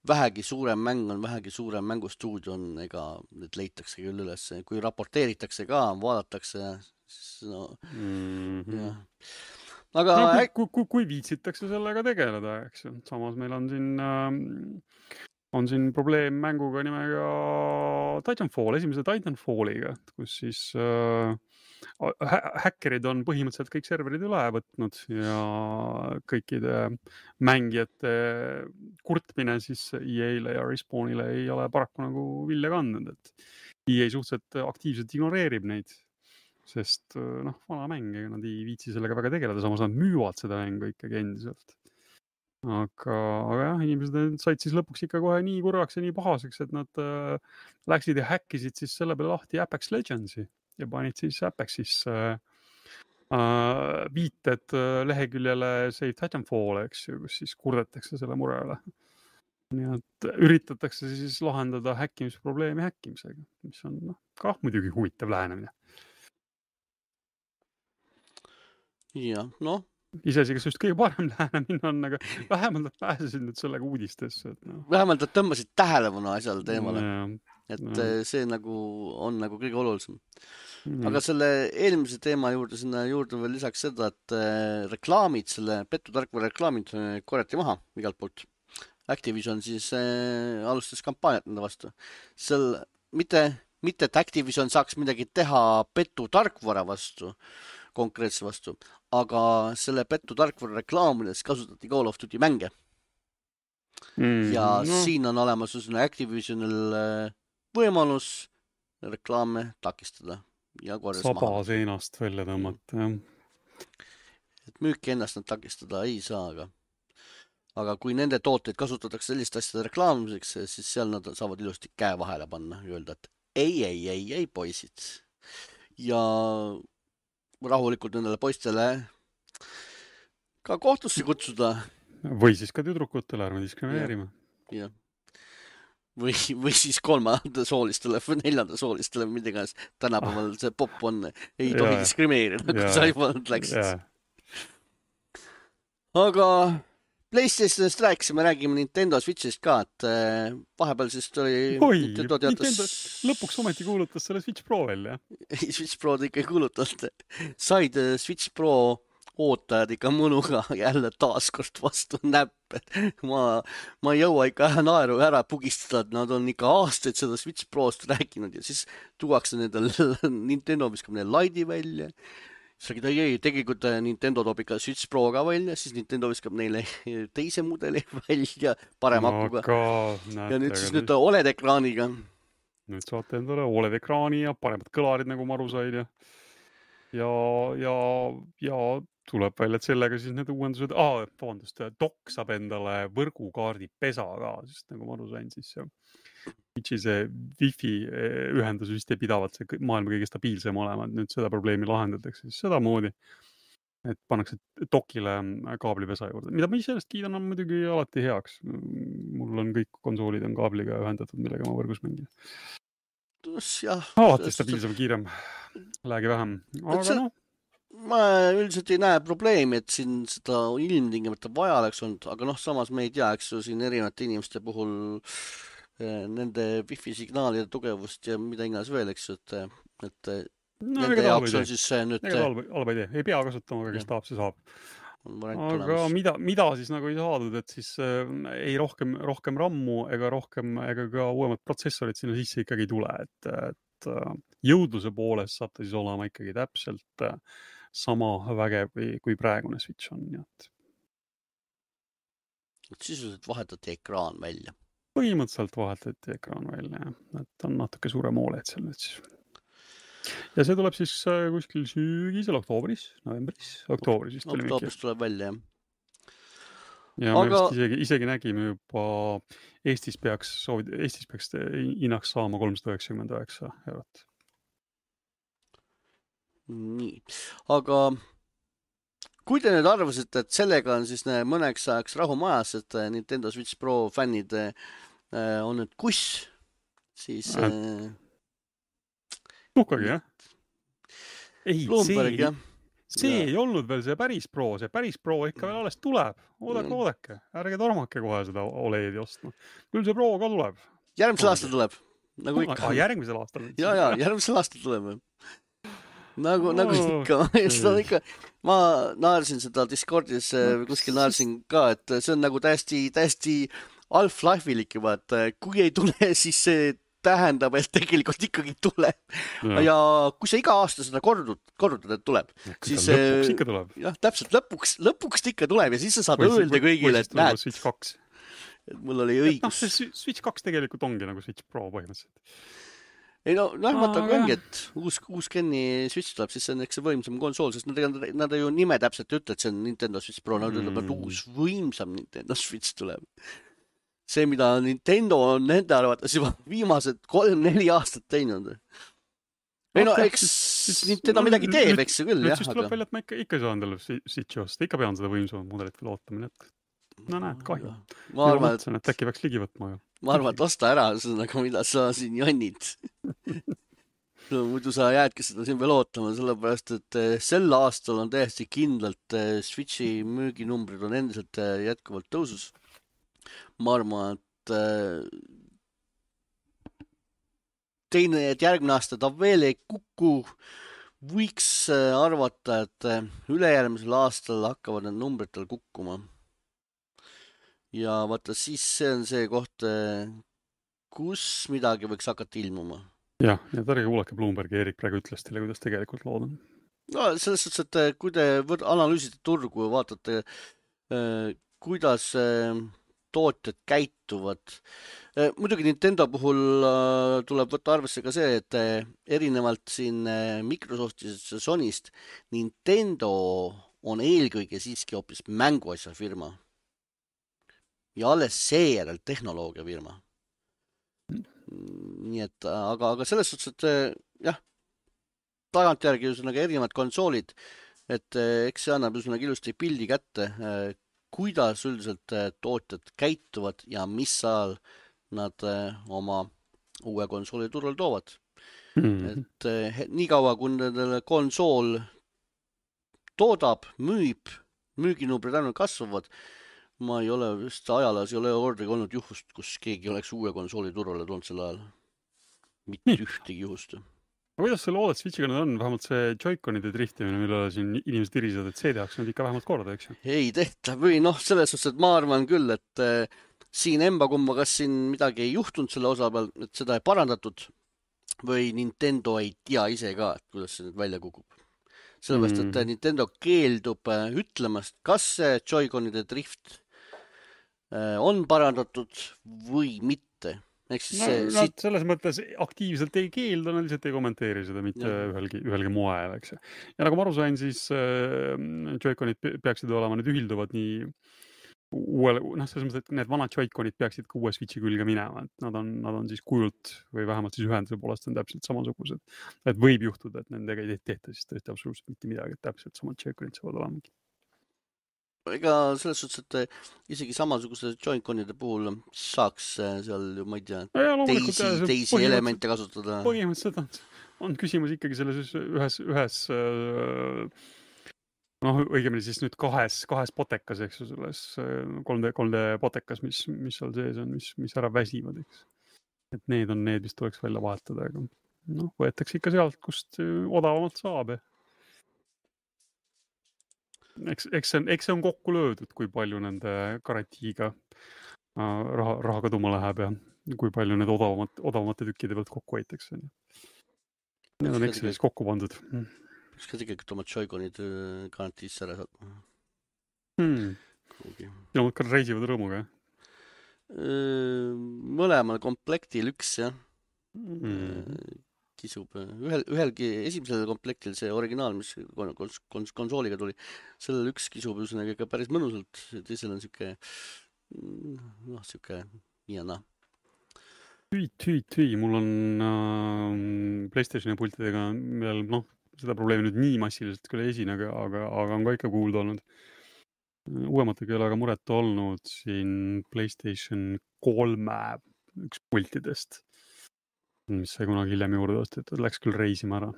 vähegi suurem mäng on, vähegi suurem mängustuudio on, ega need leitakse küll üles, kui raporteeritakse ka, vaadatakse, siis no jah. Aga kui viitsitakse sellega tegeleda, eks ju. Samas meil on siin probleem mänguga nimega Titanfall, esimese Titanfalliga, kus siis häkkerid on põhimõtteliselt kõik serverid üle võtnud ja kõikide mängijate kurtmine siis EA-le ja Respawnile ei ole paraku nagu vilja kandnud, et EA suhteliselt aktiivselt ignoreerib neid, sest vana mäng, nad ei viitsi sellega väga tegeleda, samas nad müüvad seda mängu ikkagi endiselt. Aga jah, inimesed said siis lõpuks ikka kohe nii kurvaks ja nii pahaseks, et nad läksid ja häkkisid siis selle peale lahti Apex Legendsi ja panid siis Apexis viited leheküljele Save Titanfall, eks ju, kus siis kurdetakse selle mure üle. Nii et üritatakse siis lahendada häkkimisprobleemi häkkimisega, mis on ka muidugi huvitav lähenemine. jah, noh. Isesi, kas just kõige parem lähenemine on, aga vähemalt nad pääsesid nüüd sellega uudistesse. Vähemalt nad tõmbasid tähelepanu asjale teemale. Et see on kõige olulisem. Aga selle eelmise teema juurde, sinna juurde veel lisaks seda, et reklaamid, selle pettutarkvara reklaamid korjati maha igalt poolt. Activision siis alustas kampaaniat nende vastu. Mitte, et Activision saaks midagi teha pettutarkvara vastu, konkreetse vastu, aga selle pettutarkvara reklaamides kasutati Call of Duty mänge. ja no siin on olemas Activisionil võimalus reklaame takistada ja korjas maha saba võtta. seinast välja tõmmata, jah. Et müüki ennast nad takistada ei saa, aga kui nende tooteid kasutatakse sellist asjade reklaamimiseks, siis seal nad saavad ilusti käe vahele panna ja öelda, et ei, poisid. Ja rahulikult nendele poistele ka kohtusse kutsuda. Või siis ka tüdrukutele, ärme diskrimineerime. Ja. Või siis kolmanda soolistele või neljanda soolistele, mida iganes tänapäeval see pop on, ei tohi diskrimineerida, kui sa juba läksid. Aga PlayStationist räägime Nintendo Switchist ka, et vahepeal siis tuli Nintendo teatas... lõpuks ometi kuulutas selle Switch Pro välja. Switch Pro ikka ei kuulutanud. Said Switch Pro ootajad ikka mõnuga jälle taaskord vastu näppe. Ma ei jõua ikka naeru ära pugistada, et nad on ikka aastaid seda Switch Prost rääkinud ja siis tuuakse nendel Nintendo viskab neil Lite'i välja. Siis räägid, ei, tegelikult Nintendo toob ikka Switch Pro ka välja, siis Nintendo viskab neile teise mudeli välja parem akuga. Ja nüüd siis nüüd OLED-ekraaniga. Nüüd saate endale OLED-ekraani ja paremad kõlarid, nagu ma aru sain. Ja tuleb välja, et sellega siis need uuendused... Dock saab endale võrgukaardi pesa ka, sest nagu ma aru sain, siis Switchi see Wi-Fi ühendus vist ei pidavalt see maailma kõige stabiilsem olema, et nüüd seda probleemi lahendatakse siis seda moodi, et pannakse dokile kaablipesa juurde, mida ma sellest kiidan on muidugi alati heaks. Mul on kõik konsoolid on kaabliga ühendatud, millega ma võrgus mängin. Alati stabiilsem, kiirem, läägi vähem, aga noh. Ma üldiselt ei näe probleemi, et siin seda ilmtingimata vaja oleks olnud, aga noh, samas me ei tea, eks ju, siin erinevate inimeste puhul nende Wi-Fi signaalide tugevust ja mida iganes veel, eks ju, et nende jaoks on siis see nüüd... Halba idee, ei pea kasutama, aga kes tahab, see saab. Aga mida siis nagu ei saadud, et siis ei rohkem rammu ega ka uuemad protsessorid sinna sisse ikkagi ei tule, et jõudluse poolest saab ta siis olema ikkagi täpselt sama vägev kui praegune Switch on. Sisuliselt vahetati ekraan välja. Põhimõtteliselt vahetati ekraan välja, et on natuke suurem OLED seal nüüd siis. Ja see tuleb siis kuskil sügisel, oktoobris. Oktoobris tuleb välja, jah. Ja me vist isegi nägime juba Eestis peaks hinnaks saama 399 €. Nii, aga kui te nüüd arvasite, et sellega on siis mõneks ajaks rahu majas, et Nintendo Switch Pro fännid on nüüd kuss, siis... Tuhkagi, jah? Ei, Bloomberg, jah. See ei olnud veel see päris Pro ikka veel alles tuleb. Oodake, ärge tormake kohe seda OLED-i ostma. Küll see Pro ka tuleb. Järgmisel aastal tuleb, nagu ikka. Järgmisel aastal? Ja, järgmisel aastal tuleb. Nagu ikka. Ma naersin seda Discordis, kuskil naersin ka, et see on nagu täiesti Half-Life'ilik juba, et kui ei tule, siis see tähendab, et tegelikult ikkagi tuleb. Ja kui sa iga aasta seda kordud, et tuleb, siis... Lõpuks ikka tuleb. Jah, täpselt, lõpuks ikka tuleb ja siis sa saad öelda kõigile, et näed... Switch 2. Mul oli õigus. Switch 2 tegelikult ongi nagu Switch Pro põhimõtteliselt. Ei vaata, kui ongi, et uus Kenny Switch tuleb, siis see on eks see võimsam konsool, sest nad ju nime täpselt ütle, et see on Nintendo Switch Pro, nad ütleb, et uus võimsam Nintendo Switch tuleb. See, mida Nintendo on nende arvates juba viimased 3-4 aastat teinud. Ei eks Nintendo midagi teeb, eks see küll, jah. Nüüd siis tuleb välja, et ma ikka ei saa endale Switchi osta, ikka pean seda võimsamat mudelit veel ootama, et no näed, kahju. Ma arvan, et äkki peaks ligi võtma. Ma arvan, et osta ära, mida sa siin jonnid. Muidu sa jäädki seda siin veel ootama, sellepärast, et sel aastal on täiesti kindlalt Switchi müüginumbrid on endiselt jätkuvalt tõusus. Ma arvan, et järgmine aasta ta veel ei kuku. Võiks arvata, et ülejärgmisel aastal hakkavad need numbrid tal kukkuma. Ja vaata, siis see on see koht, kus midagi võiks hakata ilmuma. Jah, ja ärge kuulake Bloombergi, Erik praegu ütles teile, kuidas tegelikult lood on. No, selles suhtes, et kui te analüüsite turgu ja vaatate, kuidas tootjad käituvad. Muidugi Nintendo puhul tuleb võtta arvesse ka see, et erinevalt siin Microsoftist ja Sonyst, Nintendo on eelkõige siiski hoopis mänguasja firma. Ja alles seejärel tehnoloogia firma. Nii et, aga selles suhtes, et jah, tagantjärgi üsnaga erinevad konsoolid, et eks see annab üsnaga ilusti pildi kätte, kuidas üldiselt tootjad käituvad ja mis ajal nad oma uue konsooli turul toovad. Et nii kaua, kui nendele konsool toodab, müüb, müüginumbrid ainult kasvavad, ma ei ole vist ajalaas ei ole kordagi olnud juhust, kus keegi oleks uue konsooli turule toonud sel ajal. Mitte ühtegi juhust. Aga kuidas selle OLED Switchiga nüüd on? Vähemalt see Joy-Conide driftimine, mille siin inimesed irisevad, et see tehakse nüüd ikka vähemalt korda, eks ju? Ei tehta või selles suhtes, et ma arvan küll, et siin emba-kumba kas siin midagi ei juhtunud selle osa peal, et seda ei parandatud või Nintendo ei tea ise ka, et kuidas see nüüd välja kukub. Sellepärast, et Nintendo keeldub ütlemast, kas see Joy-Conide drift on parandatud või mitte. Nad selles mõttes aktiivselt ei keelda, nad lihtsalt ei kommenteeri seda mitte ühelgi moel, eks. Ja nagu ma aru sain, siis Joy-Conid peaksid olema, need ühilduvad nii uuele, selles mõttes, et need vanad Joy-Conid peaksid ka uue Switchi külge minema, et nad on siis kujult või vähemalt siis ühenduse poolest on täpselt samasugused. Et võib juhtuda, et nendega ei tehta siis tõesti absoluutselt mitte midagi, et täpselt samad Joy-Conid saavad olema. Ega selles suhtes, et isegi samasuguse Joy-Conide puhul saaks seal, ma ei tea, teisi elemente kasutada. Põhimõtteliselt on küsimus ikkagi selles ühes õigemini siis nüüd kahes potekas, eks ju, selles 3D potekas, mis seal sees on, mis ära väsivad, eks. Et need on need, mis tuleks välja vahetada, aga võetakse ikka sealt, kust odavamalt saab. Eks see on kokku löödud, kui palju nende garantiiga raha kaduma läheb ja kui palju need odavamate tükkide pealt kokku hoitakse. Need on Excelis kokku pandud. Kas ka tegelikult oma Joy-Conid garantiisse ära saab? Ja ka reisivad rõõmuga, mõlemal komplektil üks, jah. Kisub. Ühelgi esimesel komplektil see originaal, mis konsooliga tuli, sellel üks kisub üsnaga ka päris mõnusalt, teisel on siuke nii ja naa. Tüü, mul on PlayStationi pultidega veel, seda probleemi nüüd nii massiliselt küll ei esine, aga on ka ikka kuulda olnud. Uuemate keelega muret olnud siin PlayStation 3 üks pultidest, mis sai kunagi hiljem juurde ostetud, läks küll reisima ära.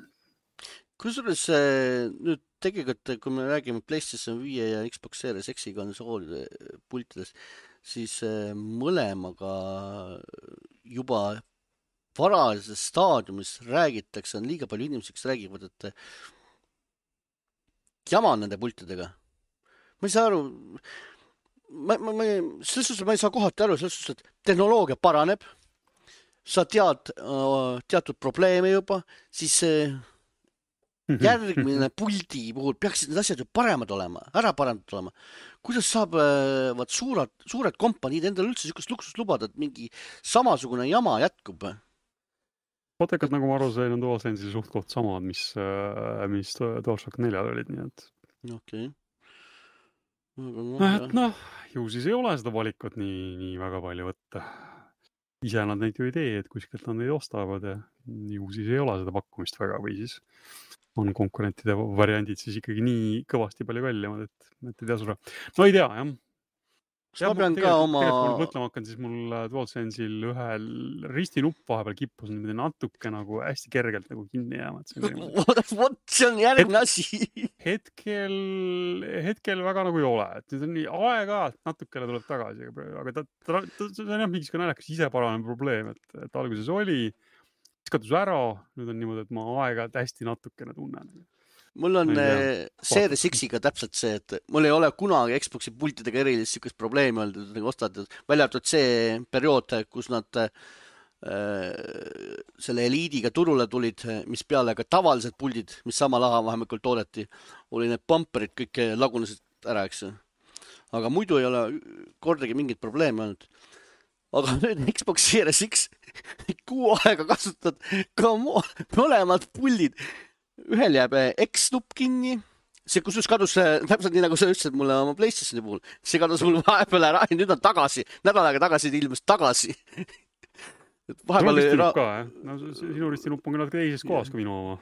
Kusjuures nüüd tegelikult, kui me räägime PlayStation 5 ja Xbox Series X konsoolide pultidest, siis mõlemaga juba varajases staadiumis räägitakse, on liiga palju inimesi, kes räägivad, et jama on nende pultidega. Ma ei saa aru, selles suhtes ma ei saa kohati aru, selles suhtes, et tehnoloogia paraneb, sa tead teatud probleeme juba, siis järgmine puldi puhul peaksid need asjad ju paremad olema, ära parandatud olema. Kuidas saab suured kompaniid endale üldse sükust luksust lubada, et mingi samasugune jama jätkub? Potekad, nagu ma aru sain, on DualSense'i suht-koht samad, mis DualShock 4 olid, nii et... Okei. Ju siis ei ole seda valikut nii väga palju võtta. Ise nad neid ju ei tee, et kuskilt nad neid ostavad ja ju siis ei ole seda pakkumist väga või siis on konkurentide variandid siis ikkagi nii kõvasti palju kallimad, et ei tea sulle. Ei tea, jah. Ma pean ka oma... Tegelikult mõtlema hakkan, siis mul DualSense'il ühel ristinupp vahepeal kippus natuke nagu hästi kergelt nagu kinni jääma. See on järgmine asi. Hetkel väga nagu ei ole. Et nüüd on nii aeg-ajalt natukene tuleb tagasi, aga see on jah mingis ka naljakas ise paranev probleem, et alguses oli, siis katus ära, nüüd on niimoodi, et ma aeg-ajalt hästi natukene tunnen. Mul on Series X-iga täpselt see, et mul ei ole kunagi Xbox'i pultidega erilist sükust probleemi olnud, ostad välja arvatud see periood, kus nad selle Elite'iga turule tulid, mis peale ka tavalised puldid, mis sama laha vahemikul toodeti, oli need bumperid kõik lagunesid ära, eks. aga muidu ei ole kordagi mingit probleemi olnud. Aga nüüd Xbox Series X 6 aega kasutad ka mõlemad pullid. Ühel jääb X-nupp kinni. See kusjuures kadus täpselt nii, nagu sa ütlesid mulle oma PlayStationi puhul. See kadus mul vahepeal ära ja nüüd on tagasi. Nädal aega tagasi ilmus tagasi. No ristinupp ka, jah? No sinu ristinupp on küll natuke teises kohas kui minu oma.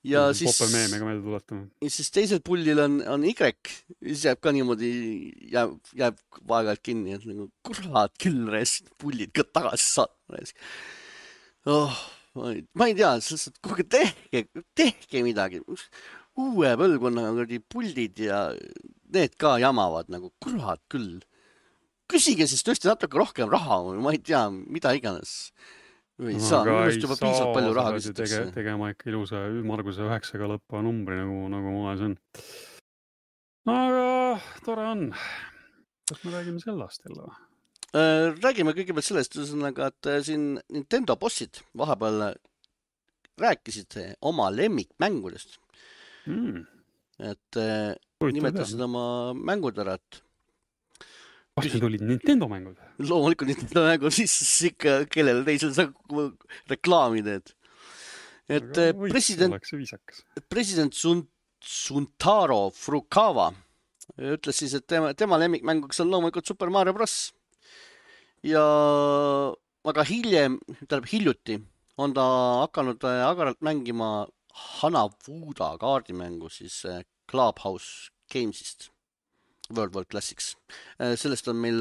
Ja siis... Popel meemega meelde tuletame. Ja siis teisel pullil on Y. Siis jääb ka niimoodi, jääb vaegalt kinni. Et nagu, kurat küll rest, pullid ka tagasi saatma. Oh, ma ei tea, kuhugi tehke midagi. Uue põlvkonnaga puldid ja need ka jamavad nagu, kurat küll. Küsige siis tõesti natuke rohkem raha, ma ei tea, mida iganes. Või saa, minust juba piisavalt palju raha küsitakse. Tegema ikka ilusa ümmarguse 9-ga lõppa numbri, nagu moes on. Aga tore on. Kas me räägime sellest jälle? Räägime kõigepealt sellest, et siin Nintendo bossid vahepeal rääkisid oma lemmikmängudest. Et nimetasid oma mängud ära, et kas need olid Nintendo mängud? Loomulikult Nintendo mängud, siis ikka kellele teisel sa reklaami teed. Et president Suntaro Furukawa ütles siis, et tema lemmikmänguks on loomulikult Super Mario Bros. Ja aga hiljuti on ta hakanud agaralt mängima Hanafuda kaardimängu siis Clubhouse Gamesist. World Classics. Sellest on meil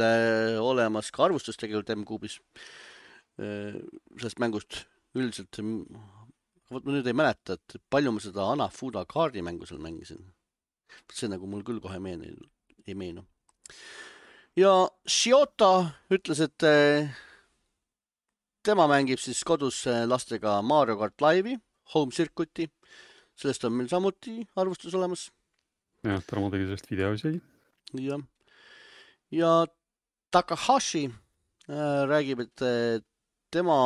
olemas ka arvustus tegelikult M-Kuubis. Sellest mängust üldiselt, ma nüüd ei mäleta, et palju ma seda Hanafuda kaardimängu seal mängisin. See nagu mul küll kohe ei meenu. Ja Shiota ütles, et tema mängib siis kodus lastega Mario Kart Live'i, Home Circuit'i. Sellest on meil samuti arvustus olemas. Jah, Tarmo tegi sellest video isegi. Ja Takahashi räägib, et tema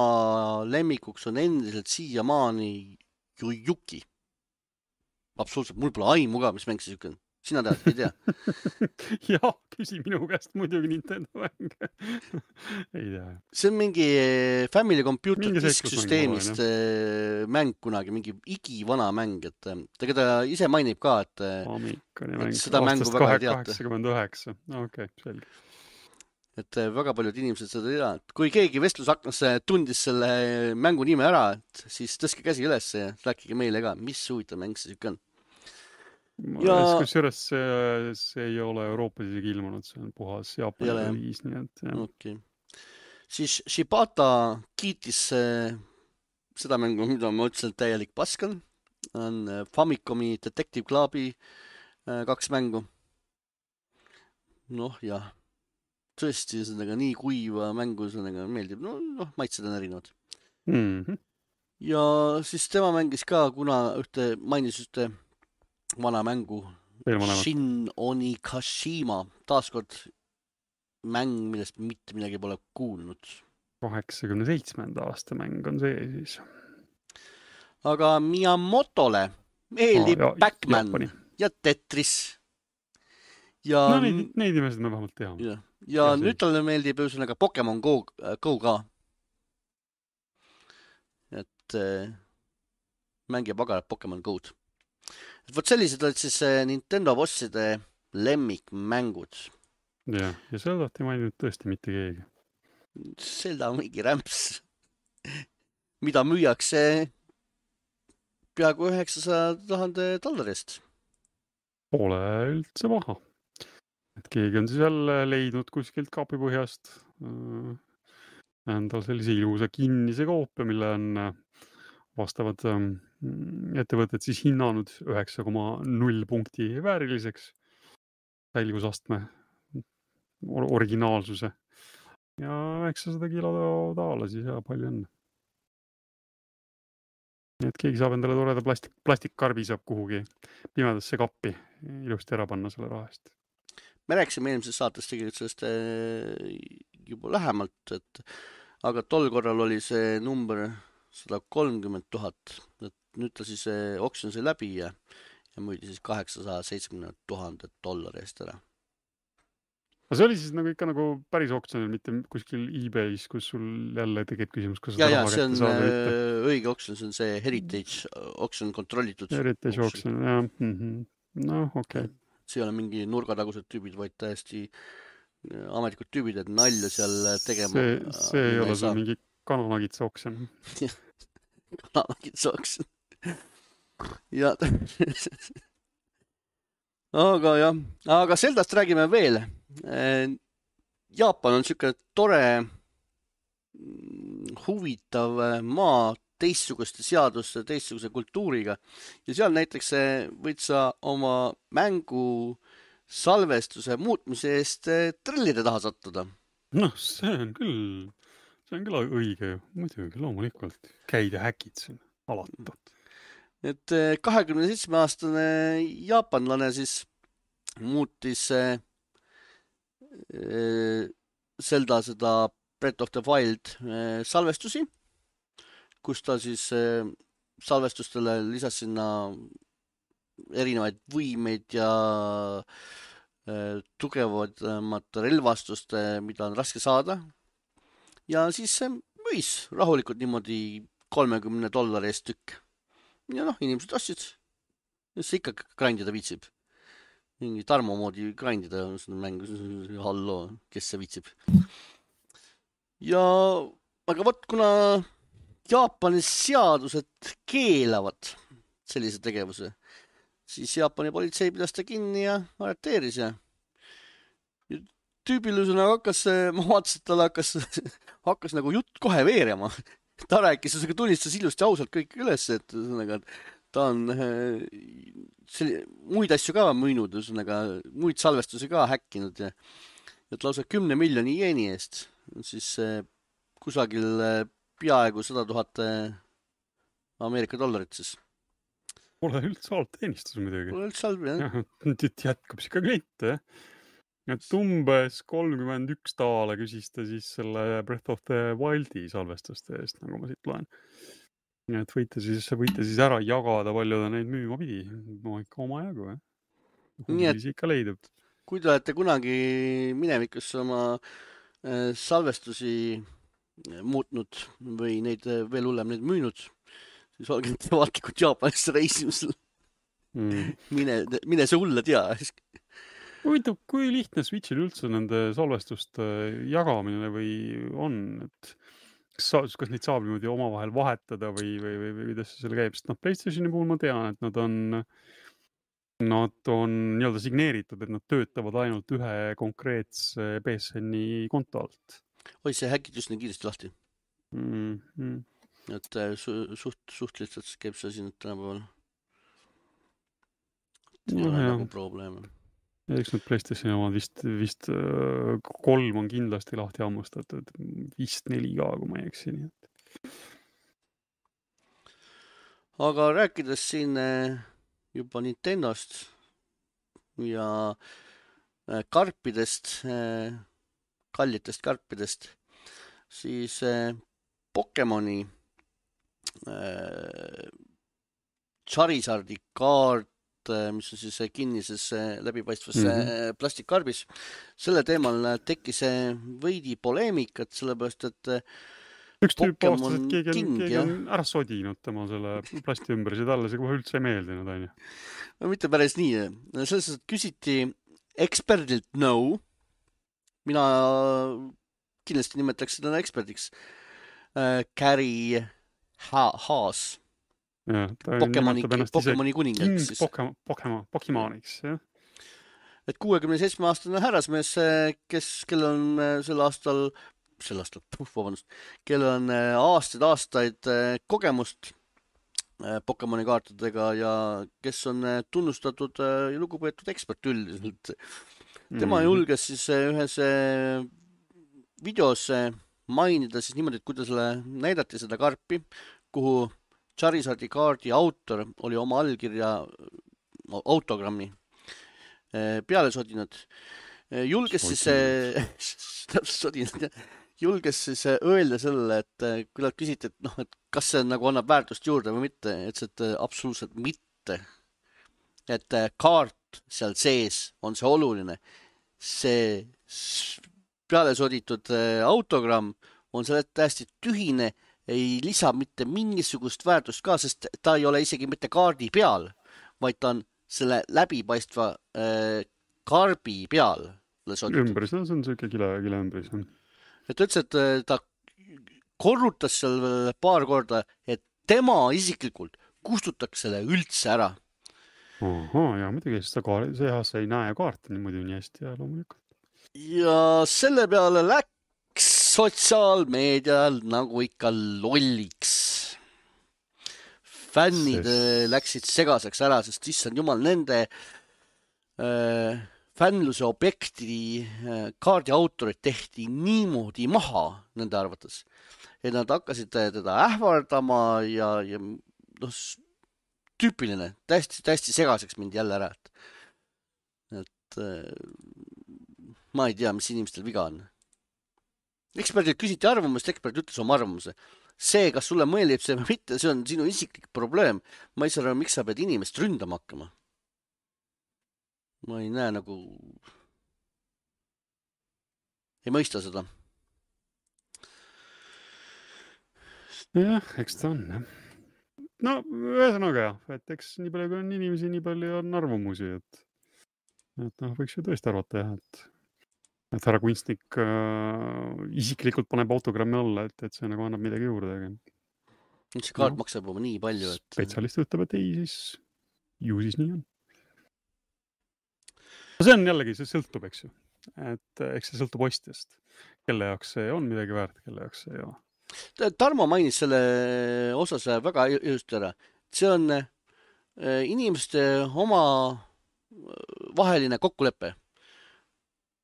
lemmikuks on endiselt siiamaani Yuki. Absoluutselt, mul pole aimu ka, mis mäng see sükkan. Sina tead, ei tea? Jah, küsi minu käest muidugi Nintendo mäng. Ei tea. See on mingi Family Computer Disk-süsteemist mäng kunagi, mingi igivana mäng. Ta ise mainib ka, et seda mängu väga ei teata. 89. Okei, selge. Et väga paljud inimesed seda ei tea. Kui keegi vestlusaknasse tundis selle mängu nime ära, siis tõstke käsi üles ja rääkige meile ka, mis huvitav mäng see sükkan. Kusjuures see ei ole Euroopas isegi ilmunud, see on puhas Jaapani reliis, nii et jah. Okay. Siis Shibata kiitis seda mängu, mida ma ütlesin, täielik paskan. On Famicomi Detective Clubi 2 mängu. Noh, jah. Tõesti, sellega nii kuiva mängu sellega meeldib. Maitsed on erinevad. Ja siis tema mängis ka, kuna mainis ühte vana mängu Shin Onikashima, taaskord mäng, millest mitte midagi pole kuulnud. 87. aasta mäng on see siis. Aga Miyamotole meeldib Pac-Man ja Tetris. Ja no neid inimesed me vähemalt teame. Ja nüüd talle meeldib ühesõnaga Pokemon Go ka. Et mängib agarat Pokemon Go'd. Et võt sellised olid siis Nintendo bosside lemmikmängud. Ja Zeldat ei maininud tõesti mitte keegi. Zelda on mingi rämps, mida müüakse peaaegu $900,000 eest. Pole üldse maha. Et keegi on siis jälle leidnud kuskilt kaapipõhjast endal sellise ilusa kinnise koopia, mille on vastavad ettevõtted siis hinnanud 9,0 punkti vääriliseks säilgusastme originaalsuse ja 900 kilo taala siis ja palju enne. Nii et keegi saab endale toreda plastikkarbi saab kuhugi pimedasse kappi ilusti ära panna selle rahast. Me rääkisime eelmises saates tegelikult sellest juba lähemalt, aga tol korral oli see number 130,000, et nüüd ta siis oksjon sai läbi ja müüdi siis $870,000 eest ära. aga see oli siis nagu ikka nagu päris oksjonil, mitte kuskil eBay's, kus sul jälle tekib küsimus, kas seda ja raha see kätte on saada või mitte. õige oksjon, see on see Heritage oksjon, kontrollitud Heritage oksjon. oksjon, jah. Noh, okei. See ei ole mingi nurgatagused tüübid, vaid täiesti ametlikud tüübid, et nalja seal tegema See ei ole sul mingi kananagitsa oksjon. kananagitsa oksjon. ja aga jah, aga Zeldast räägime veel. Jaapan on siuke tore, huvitav maa teistsuguste seaduste, teistsuguse kultuuriga ja seal näiteks võid sa oma mängu salvestuse muutmise eest trellide taha sattuda. Noh, see on küll õige ju, muidugi, loomulikult. Käid ja häkid siin alati. Et 27-aastane jaapanlane siis muutis Zelda seda Breath of the Wild salvestusi, kus ta siis salvestustele lisas sinna erinevaid võimeid ja tugevamat relvastust, mida on raske saada. Ja siis võis rahulikult niimoodi $30 eest tükk. Ja noh, inimesed ostsid. Ja see ikka grindida viitsib. Mingi Tarmo moodi grindida seda mängu. Halloo, kes see viitsib. Ja aga võt, kuna Jaapanis seadused keelavad sellise tegevuse, siis Jaapani politsei pidas ta kinni ja arreteeris ja tüübilusena ma vaatasin, et tal hakkas nagu jutt kohe veerema. Ta rääkis, tunnistas ilusti ausalt kõik üles, et ta on muid asju ka müünud, muid salvestusi ka häkkinud ja et lausa 10 miljoni jeeni eest, siis kusagil peaaegu 100 000 Ameerika dollarit siis. Pole üldse halb teenistus muidugi. Pole üldse halb, jah. Nüüd jätkab siis ka kliente, jah. Et umbes $31 küsis ta siis selle Breath of the Wildi salvestuste eest, nagu ma siit loen. Et võite siis ära jagada, palju ta neid müüma pidi. No ikka oma jagu, jah. Huvilisi ikka leidub. Kui te olete kunagi minevikus oma salvestusi muutnud või neid veel hullem neid müünud, siis olge vaatlikud Jaapanisse reisimisel. Mine see hulle tea. Huvitav, kui lihtne Switchil üldse nende salvestuste jagamine või on, et kas neid saab niimoodi omavahel vahetada või kuidas see selle käib, sest PlayStationi puhul ma tean, et nad on nii-öelda signeeritud, et nad töötavad ainult ühe konkreetse PSN-i konto alt. Oi, see häkid just nii kiiresti lahti. Et suht lihtsalt käib see siin tänapäeval. Ei ole nagu probleeme. Ja eks need PlayStationi omad vist 3 on kindlasti lahti ammustatud, vist 4 ka, kui ma ei eksi. Aga rääkides siin juba Nintendost ja karpidest, kallitest karpidest, siis Pokemoni Charizardi kaart, mis on siis kinnises läbipaistvas plastikkarbis. Selle teemal tekkis veidi poleemikat, sellepärast, et üks tüüp aastas, et keegi on ära sodinud tema selle plasti ümber, see talle see kohe üldse ei meeldinud, on ju. No mitte päris nii. Selles, et küsiti eksperdilt nõu. Mina kindlasti nimetaks seda eksperdiks. Gary Haas. Ja, Pokemoni kuningas siis. Pokemoniks, jah. Et 67-aastane härrasmees, kellel on kellel on aastaid kogemust Pokemoni kaartidega ja kes on tunnustatud ja lugupeetud ekspert üldiselt. Tema julges siis ühes videos mainida siis niimoodi, et kuidas näidati seda karpi, kuhu Charizardi kaardi autor oli oma allkirja autogrammi peale sodinud. Julges siis öelda sellele, et kui nad küsiti, et kas see nagu annab väärtust juurde või mitte, et absoluutselt mitte. Et kaart seal sees on see oluline. See peale soditud autogramm on selle täiesti tühine, ei lisa mitte mingisugust väärtust ka, sest ta ei ole isegi mitte kaardi peal, vaid ta on selle läbipaistva karbi peal soditud. Ümbris, no see on siuke kile ümbris. Et ta ütles, et ta korrutas seal veel paar korda, et tema isiklikult kustutaks selle üldse ära. Ja muidugi, sest see ei näe kaarte niimoodi nii hästi ja loomulikult. Ja selle peale läks sotsiaalmeedial nagu ikka lolliks. Fännid läksid segaseks ära, sest issand jumal, nende fännluse objekti kaardi autorid tehti niimoodi maha nende arvates, et nad hakkasid teda ähvardama ja noh, tüüpiline, täiesti segaseks mind jälle ära, et ma ei tea, mis inimestel viga on. Eksperdilt küsiti arvamust, ekspert ütles oma arvamuse. See, kas sulle mõelib see või mitte, see on sinu isiklik probleem. Ma ei saa aru, miks sa pead inimest ründama hakkama. Ma ei näe nagu... Ei mõista seda. Jah, eks ta on, jah. No, ühesõnaga jah, et eks nii palju kui on inimesi, nii palju on arvamusi, et noh, võiks ju tõesti arvata jah, et härra kunstnik isiklikult paneb autogrammi alla, et see nagu annab midagi juurde. See kaart maksab juba nii palju, et... Spetsialist ütleb, et ei, siis ju siis nii on. See on jällegi, see sõltub, eks ju. Et eks see sõltub ostjast. Kelle jaoks see on midagi väärt, kelle jaoks see ei ole. Tarmo mainis selle osas väga just ära. See on inimeste oma vaheline kokkulepe.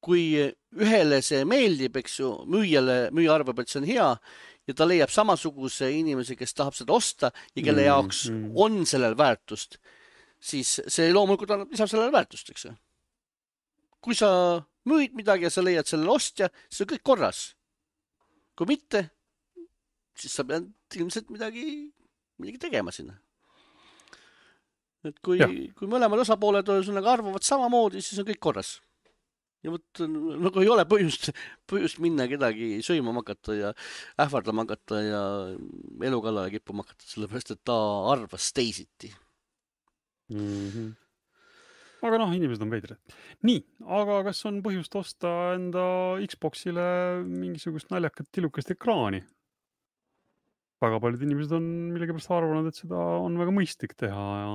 Kui ühele see meeldib, eks ju, müüja arvab, et see on hea ja ta leiab samasuguse inimese, kes tahab seda osta ja kelle jaoks on sellel väärtust, siis see loomulikult lisab sellele väärtust, eks ju. Kui sa müüd midagi ja sa leiad sellele ostja, siis on kõik korras. Kui mitte, siis sa pead ilmselt midagi tegema sinna. Et kui mõlemad osapooled arvavad samamoodi, siis on kõik korras. Ja võt, nagu ei ole põhjust minna kedagi söima hakata ja ähvardama hakata ja elu kallale kippuma hakata, sellepärast, et ta arvas teisiti. Aga noh, inimesed on veidrad. Nii, aga kas on põhjust osta enda Xboxile mingisugust naljakat tilukest ekraani? Väga paljud inimesed on millegipärast arvanud, et seda on väga mõistlik teha ja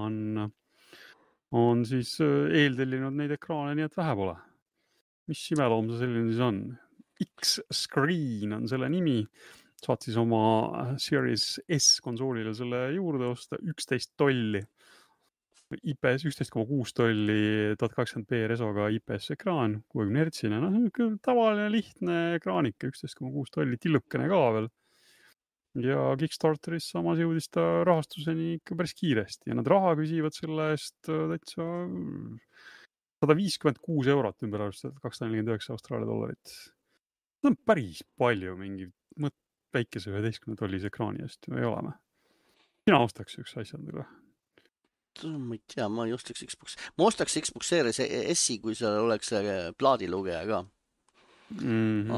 on siis eeltellinud neid ekraane nii, et vähe pole. Mis imeloom see selline siis on? X-Screen on selle nimi. Saad siis oma Series S konsoolile selle juurde osta $11. IPS 11,6 tolli 1080p resoga IPS ekraan, 60 Hz-ine. No, tavaline lihtne ekraanik, 11,6 tolli, tillukene ka veel. Ja Kickstarteris samas jõudis ta rahastuseni ikka päris kiiresti ja nad raha küsivad selle eest täitsa €156 ümber arvestatud, $249 Austraalia. See on päris palju mingi väikese 11 tollise ekraani eest, ei ole me. Sina ostaks üks asja endale? Ma ei tea, ma ei ostaks Xbox. Ma ostaks Xbox Series S-i, kui seal oleks plaadilugeja ka.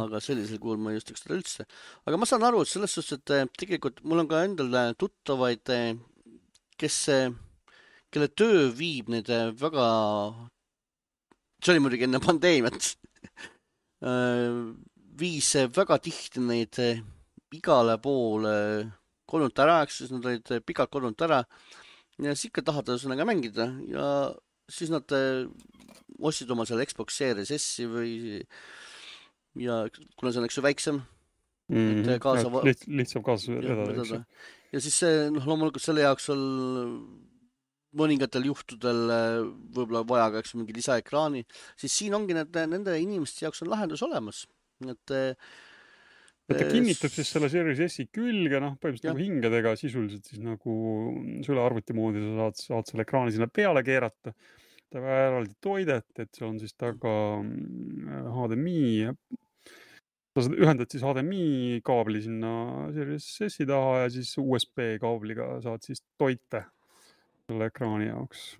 Aga sellisel kuul ma ei ostaks seda üldse. Aga ma saan aru, et selles suhtes, et tegelikult mul on ka endal tuttavaid, kelle töö viib neid väga... See oli muidugi enne pandeemiat. Viis väga tihti neid igale poole kodunt ära, siis nad olid pikalt kodunt ära ja siis ikka tahavad ühesõnaga mängida ja siis nad ostsid oma selle Xbox Series S-i või ja kuna see on üks väiksem lihtsam kaasa vedada. Ja siis see, loomulikult selle jaoks on mõningatel juhtudel võib-olla vaja ka mingi lisaekraani, siis siin ongi nende inimeste jaoks on lahendus olemas. Ta kinnitab siis selle Series S-i külge, põhimõtteliselt nagu hingedega sisuliselt siis nagu süle arvuti moodi sa saad selle ekraani sinna peale keerata. Ta väga eraldi toidet, et see on siis taga HDMI. Sa ühendad siis HDMI kaabli sinna Series S-i taha ja siis USB kaabliga saad siis toite selle ekraani jaoks.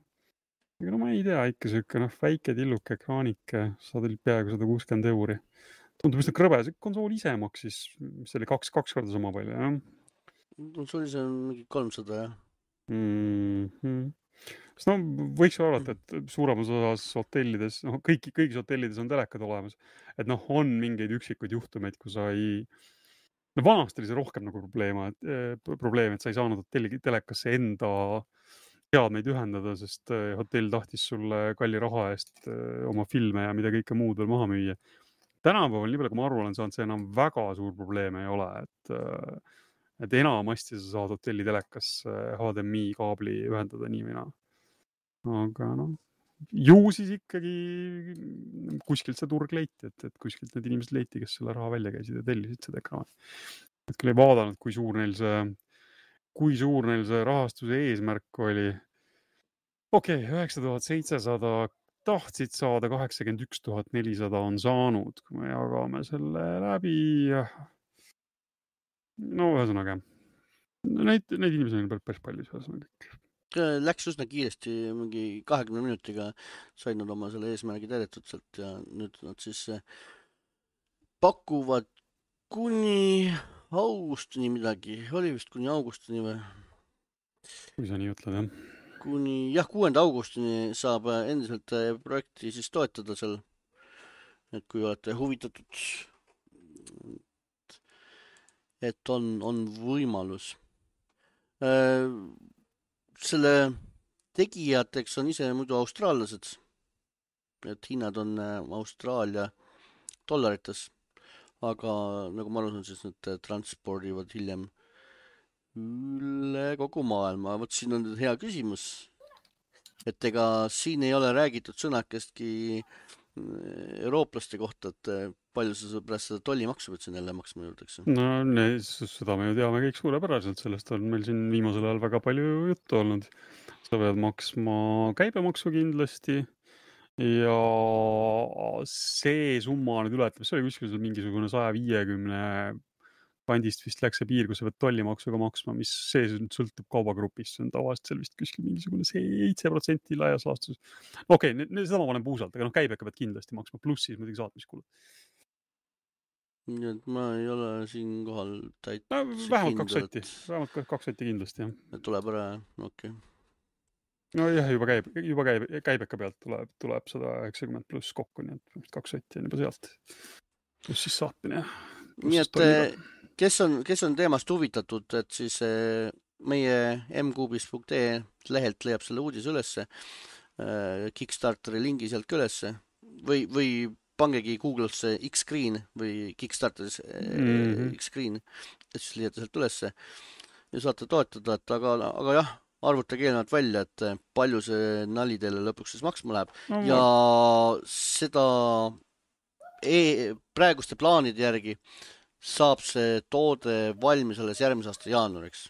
aga no ma ei tea, ikka siuke väike tilluke ekraanike, saad peaaegu 160 €. Tundub üsna krõbe, see konsool ise maksis, mis oli kaks korda sama palju, jah? See oli see mingi 300, jah. Sest no võiks ju arvata, et suuremas osas hotellides, kõigis hotellides on telekad olemas, et on mingeid üksikuid juhtumeid, kui sa ei, no vanasti oli see rohkem nagu probleem, et sa ei saanud hotelli telekasse enda seadmeid ühendada, sest hotell tahtis sulle kalli raha eest oma filme ja mida kõike muud veel maha müüa. Tänapäeval, nii palju kui ma aru olen saanud, see enam väga suur probleem ei ole, et enamasti sa saad hotelli telekasse HDMI kaabli ühendada nii või naa. Aga ju siis ikkagi kuskilt see turg leiti, et kuskilt need inimesed leiti, kes selle raha välja käisid ja tellisid seda ekraani. Et küll ei vaadanud, kui suur neil see rahastuse eesmärk oli. Okei, 9700 tahtsid saada, 81 400 on saanud, kui me jagame selle läbi. No ühesõnaga, neid inimesi on päris palju ühesõnaga. Läks üsna kiiresti, mingi 20 minutiga said nad oma selle eesmärgi täidetud sealt ja nüüd nad siis pakuvad kuni augustini midagi, oli vist kuni augustini või? Kui sa nii ütled, jah. Kuni 6. augustini saab endiselt projekti siis toetada seal, et kui olete huvitatud, et on võimalus. Selle tegijateks on ise muidu austraallased, et hinnad on Austraalia dollarites, aga nagu ma aru saan, siis nad transpordivad hiljem üle kogu maailma. Vot siin on hea küsimus, et ega siin ei ole räägitud sõnakestki eurooplaste kohta, et palju sa pärast seda tollimaksu pead siin jälle maksma juurde, eks? No seda me ju teame kõik suurepäraselt, sellest on meil siin viimasel ajal väga palju juttu olnud. Sa pead maksma käibemaksu kindlasti ja see summa nüüd ületab, see oli kuskil mingisugune 150 kandist vist läks see piir, kus sa pead tollimaksuga maksma, mis see sõltub kaubagrupist, see on tavaliselt seal vist kuskil mingisugune 7% laias laastus. Okei, seda ma panen puusalt, aga käibeka pead kindlasti maksma, pluss siis muidugi saatmiskulud. Nii et ma ei ole siin kohal vähemalt 2 sotti, vähemalt 2 sotti kindlasti, jah. Tuleb ära, okei. No jah, juba käibeka pealt tuleb 190 pluss kokku, nii et 2 sotti on juba sealt. Pluss siis saatmine, jah. Nii et kes on teemast huvitatud, et siis meie mkuubis.ee lehelt leiab selle uudise ülesse, Kickstarteri lingi sealt ülesse või pangegi Google'sse X-Screen või Kickstarteris X-Screen, et siis leiate sealt ülesse ja saate toetada, et aga jah, arvutage eelnevalt välja, et palju see nali teile lõpuks siis maksma läheb ja seda praeguste plaanide järgi saab see toode valmis alles järgmise aasta jaanuariks.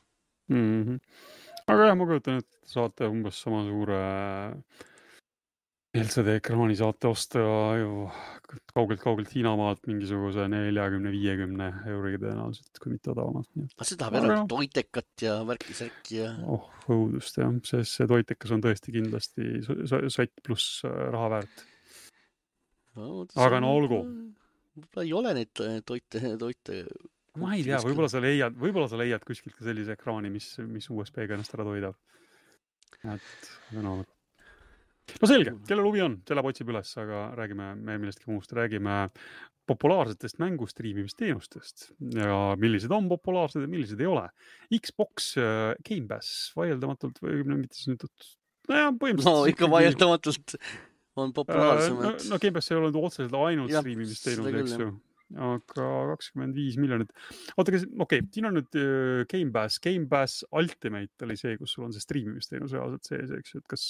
Aga jah, ma kujutan, et saate umbes sama suure LCD ekraani saate osta ju kaugelt Hiinamaalt mingisuguse 40-50 € tõenäoliselt, kui mitte odavamalt. Aga see tahab eraldi toitekat ja värki-särki ja... õudust, jah. See toitekas on tõesti kindlasti sott pluss raha väärt. Aga no olgu. Võib-olla ei ole neid toite. Ma ei tea, võib-olla sa leiad kuskilt ka sellise ekraani, mis USB-ga ennast ära toidab. No selge, kellel huvi on, selle otsib üles, aga räägime me millestki muust. Räägime populaarsetest mängustriimimisteenustest ja millised on populaarsed ja millised ei ole. Xbox Game Pass vaieldamatud või mitte sõnitud. No ikka vaieldamatud on populaarsemad. No Game Pass ei ole otseselt ainult striimimisteenus, eks ju. Aga 25 miljonit. Okei, siin on nüüd Game Pass Ultimate oli see, kus sul on see striimimisteenus reaalselt sees, eks ju, et kas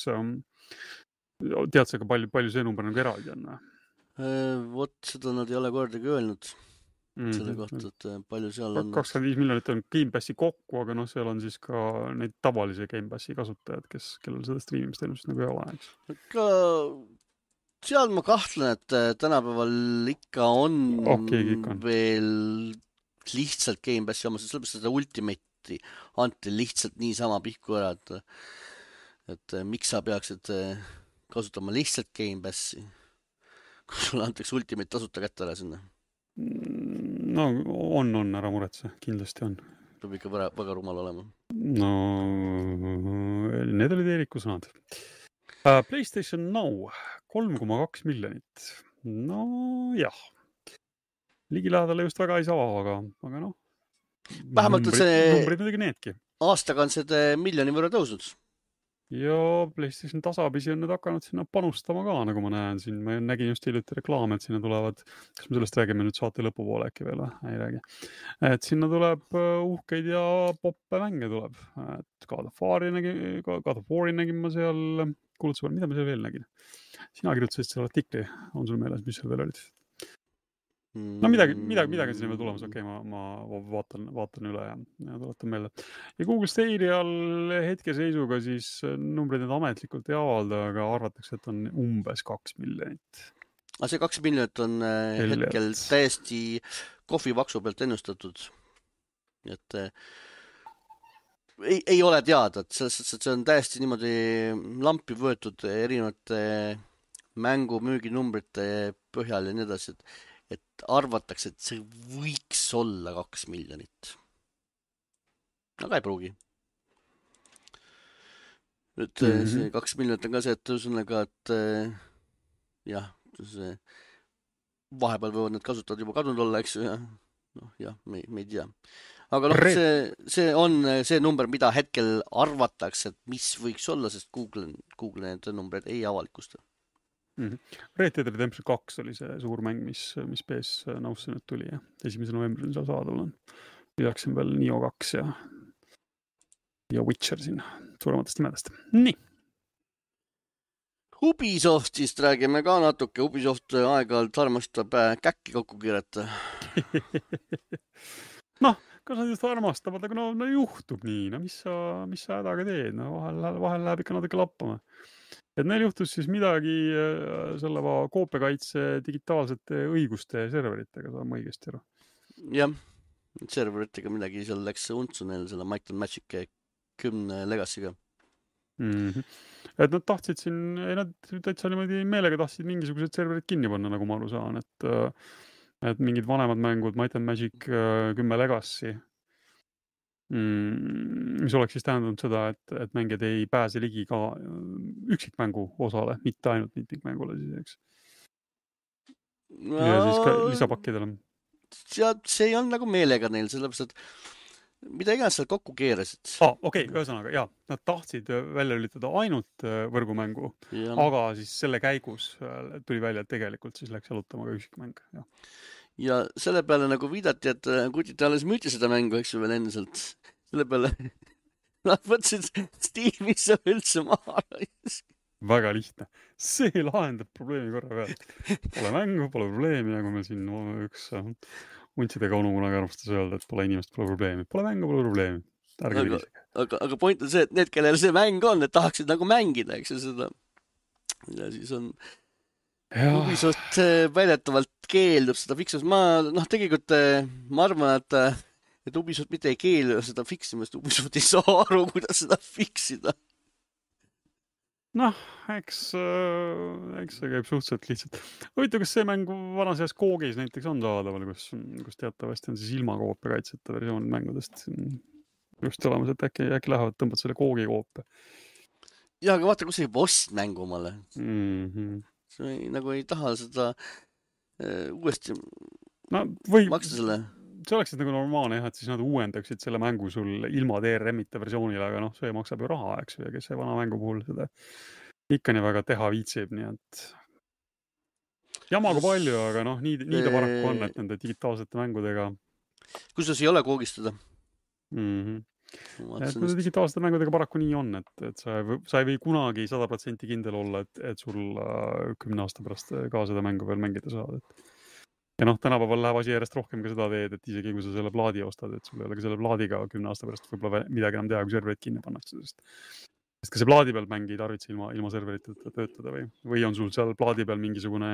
tead sa ka palju see number nagu eraldi on? Vot seda nad ei ole kordagi öelnud selle kohta, et palju seal on. 25 miljonit on Game Passi kokku, aga seal on siis ka neid tavalisi Game Passi kasutajad, kellel seda striimimisteenust nagu ei ole, eks. Aga seal ma kahtlen, et tänapäeval ikka on veel lihtsalt Game Passi omas, sellepärast seda Ultimate'i anti lihtsalt niisama pihku ära, et miks sa peaksid kasutama lihtsalt Game Passi, kui sulle antakse Ultimate tasuta kätte ära sinna. No on, ära muretse, kindlasti on. Peab ikka väga rumal olema. No, need olid Eeriku sõnad. PlayStation Now, 3,2 miljonit. No jah. Ligilähedale just väga ei saa, aga noh. Vähemalt on see numbrid muidugi needki. Aastaga on seda 1 miljoni võrra tõusnud. Ja PlayStation tasapisi on nüüd hakanud sinna panustama ka, nagu ma näen siin. Ma nägin just hiljuti reklaame, et sinna tulevad, kas me sellest räägime nüüd saate lõpupoole äkki veel, ei räägi. Et sinna tuleb uhkeid ja poppe mänge tuleb. Et God of War'i nägin ma seal kuulutusel, mida ma seal veel nägin? Sina kirjutasid selle artikli, on sul meeles, mis seal veel olid? No midagi sinna veel tulemas, okei, ma vaatan üle ja tuletan meelde. Ja Google Stadial hetkeseisuga siis numbrid need ametlikult ei avalda, aga arvatakse, et on umbes 2 miljonit. Aga see 2 miljonit on hetkel täiesti kohvipaksu pealt ennustatud. Et ei ole teada, et see on täiesti niimoodi lampi võetud erinevate mängumüüginumbrite põhjal ja nii edasi, et arvatakse, et see võiks olla 2 miljonit. Aga ei pruugi. Nüüd see 2 miljonit on ka see, et ühesõnaga, et jah, see vahepeal võivad need kasutajad juba kadunud olla, eks ju, ja noh, jah, me ei tea. Aga noh, see on see number, mida hetkel arvatakse, et mis võiks olla, sest Google need numbreid ei avalikusta. Red Dead Redemption 2 oli see suur mäng, mis PS Now'sse nüüd tuli ja 1. novembril seal saadavul on. Lisaks on veel Nioh 2 ja Witcher siin suurematest nimedest. Nii. Ubisoftist räägime ka natuke. Ubisoft aeg-ajalt armastab käkki kokku kirjata. Noh, kas nad just armastavad, aga no juhtub nii. No mis sa hädaga teed? No vahel läheb ikka natuke lappama. Et neil juhtus siis midagi selle koopiakaitse digitaalsete õiguste serveritega, saab ma õigesti aru. Jah, serveritega midagi seal läks untsu neil selle Might and Magic 10 Legacy'ga. Et nad tahtsid siin, nad täitsa niimoodi meelega tahtsid mingisugused serverid kinni panna, nagu ma aru saan, et mingid vanemad mängud, Might and Magic 10 Legacy, mis oleks siis tähendanud seda, et mängijad ei pääse ligi ka üksikmängu osale, mitte ainult mitmikmängule siis, eks. Ja siis ka lisapakkidele. See ei olnud nagu meelega neil, sellepärast, et mida iganes seal kokku keerasid. Okei, ühesõnaga, jah, nad tahtsid välja lülitada ainult võrgumängu, aga siis selle käigus tuli välja, et tegelikult siis läks jalutama ka üksikmäng, jah. Ja selle peale nagu viidati, et kutid alles müüti seda mängu, eks ju veel endiselt. Selle peale nad võtsid Steamisse üldse maha. Väga lihtne. See lahendab probleemi korra pealt. Pole mängu, pole probleemi, nagu meil siin üks untsidega onu kunagi armastas öelda, et pole inimest, pole probleemi. Pole mängu, pole probleemi. Ärge vilisege. Aga point on see, et need, kellel see mäng on, need tahaksid nagu mängida, eks ju seda. Ja siis on Ubisoft väidetavalt keeldub seda fiksust. Tegelikult ma arvan, et Ubisoft mitte ei keelu seda fiksimast. Ubisoft ei saa aru, kuidas seda fiksida. Noh, eks see käib suhteliselt lihtsalt. Huvitav, kas see mäng vanas eas Koogis näiteks on saadaval, kus teatavasti on siis ilma koopiakaitseta versioonid mängudest just olemas, et äkki lähevad tõmbad selle Koogi koope. Ja, aga vaata, kus ei ost mängu omale. See nagu ei taha seda uuesti maksta selle. See oleks nagu normaalne, et siis nad uuendaksid selle mängu sul ilma DRM-ita versioonile, aga see maksab ju raha, eks, ja kes see vana mängu puhul seda ikka nii väga teha viitsib, nii et jamaga palju, aga nii ta paraku on, et nende digitaalsete mängudega. Kusjuures ei ole koogistada. Et digitaalsete mängudega paraku nii on, et sa ei või kunagi 100% kindel olla, et sul 10 aasta pärast ka seda mängu veel mängida saad. Ja tänapäeval läheb asi järjest rohkem ka seda teed, et isegi kui sa selle plaadi ostad, et sul ei ole ka selle plaadiga 10 aasta pärast võib-olla midagi enam teha, kui serverit kinni pannakse. Sest ka see plaadi peal mängi ei tarvitse ilma serverita töötada või on sul seal plaadi peal mingisugune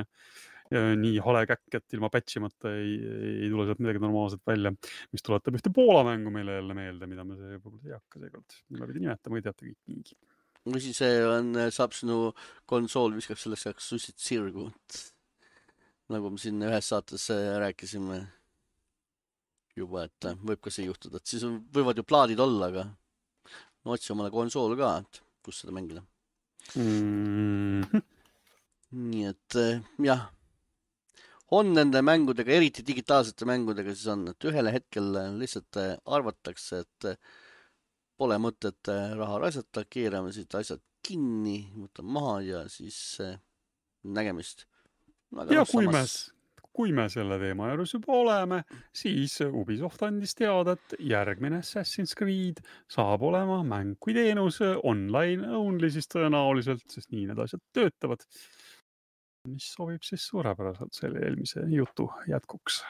nii hale käkk, et ilma patchimata ei tule sealt midagi normaalselt välja, mis tuletab ühte Poola mängu meile jälle meelde, mida me see võib-olla ei hakka seekord. Mida pidi nimetama, ei teata kõik niigi. või siis saab sinu konsool viskab selleks ajaks sussid sirgu. Nagu me siin ühes saates rääkisime juba, et võib ka see juhtuda, et siis võivad ju plaadid olla, aga no otsi omale konsool ka, et kus seda mängida. Nii et jah, on nende mängudega, eriti digitaalsete mängudega siis on, et ühele hetkel lihtsalt arvatakse, et pole mõtet raha raisata, keerame siit asjad kinni, võtame maha ja siis nägemist. Ja kui me selle teema juures juba oleme, siis Ubisoft andis teada, et järgmine Assassin's Creed saab olema mäng kui teenus online only siis tõenäoliselt, sest nii need asjad töötavad. Mis sobib siis suurepäraselt selle eelmise jutu jätkuks.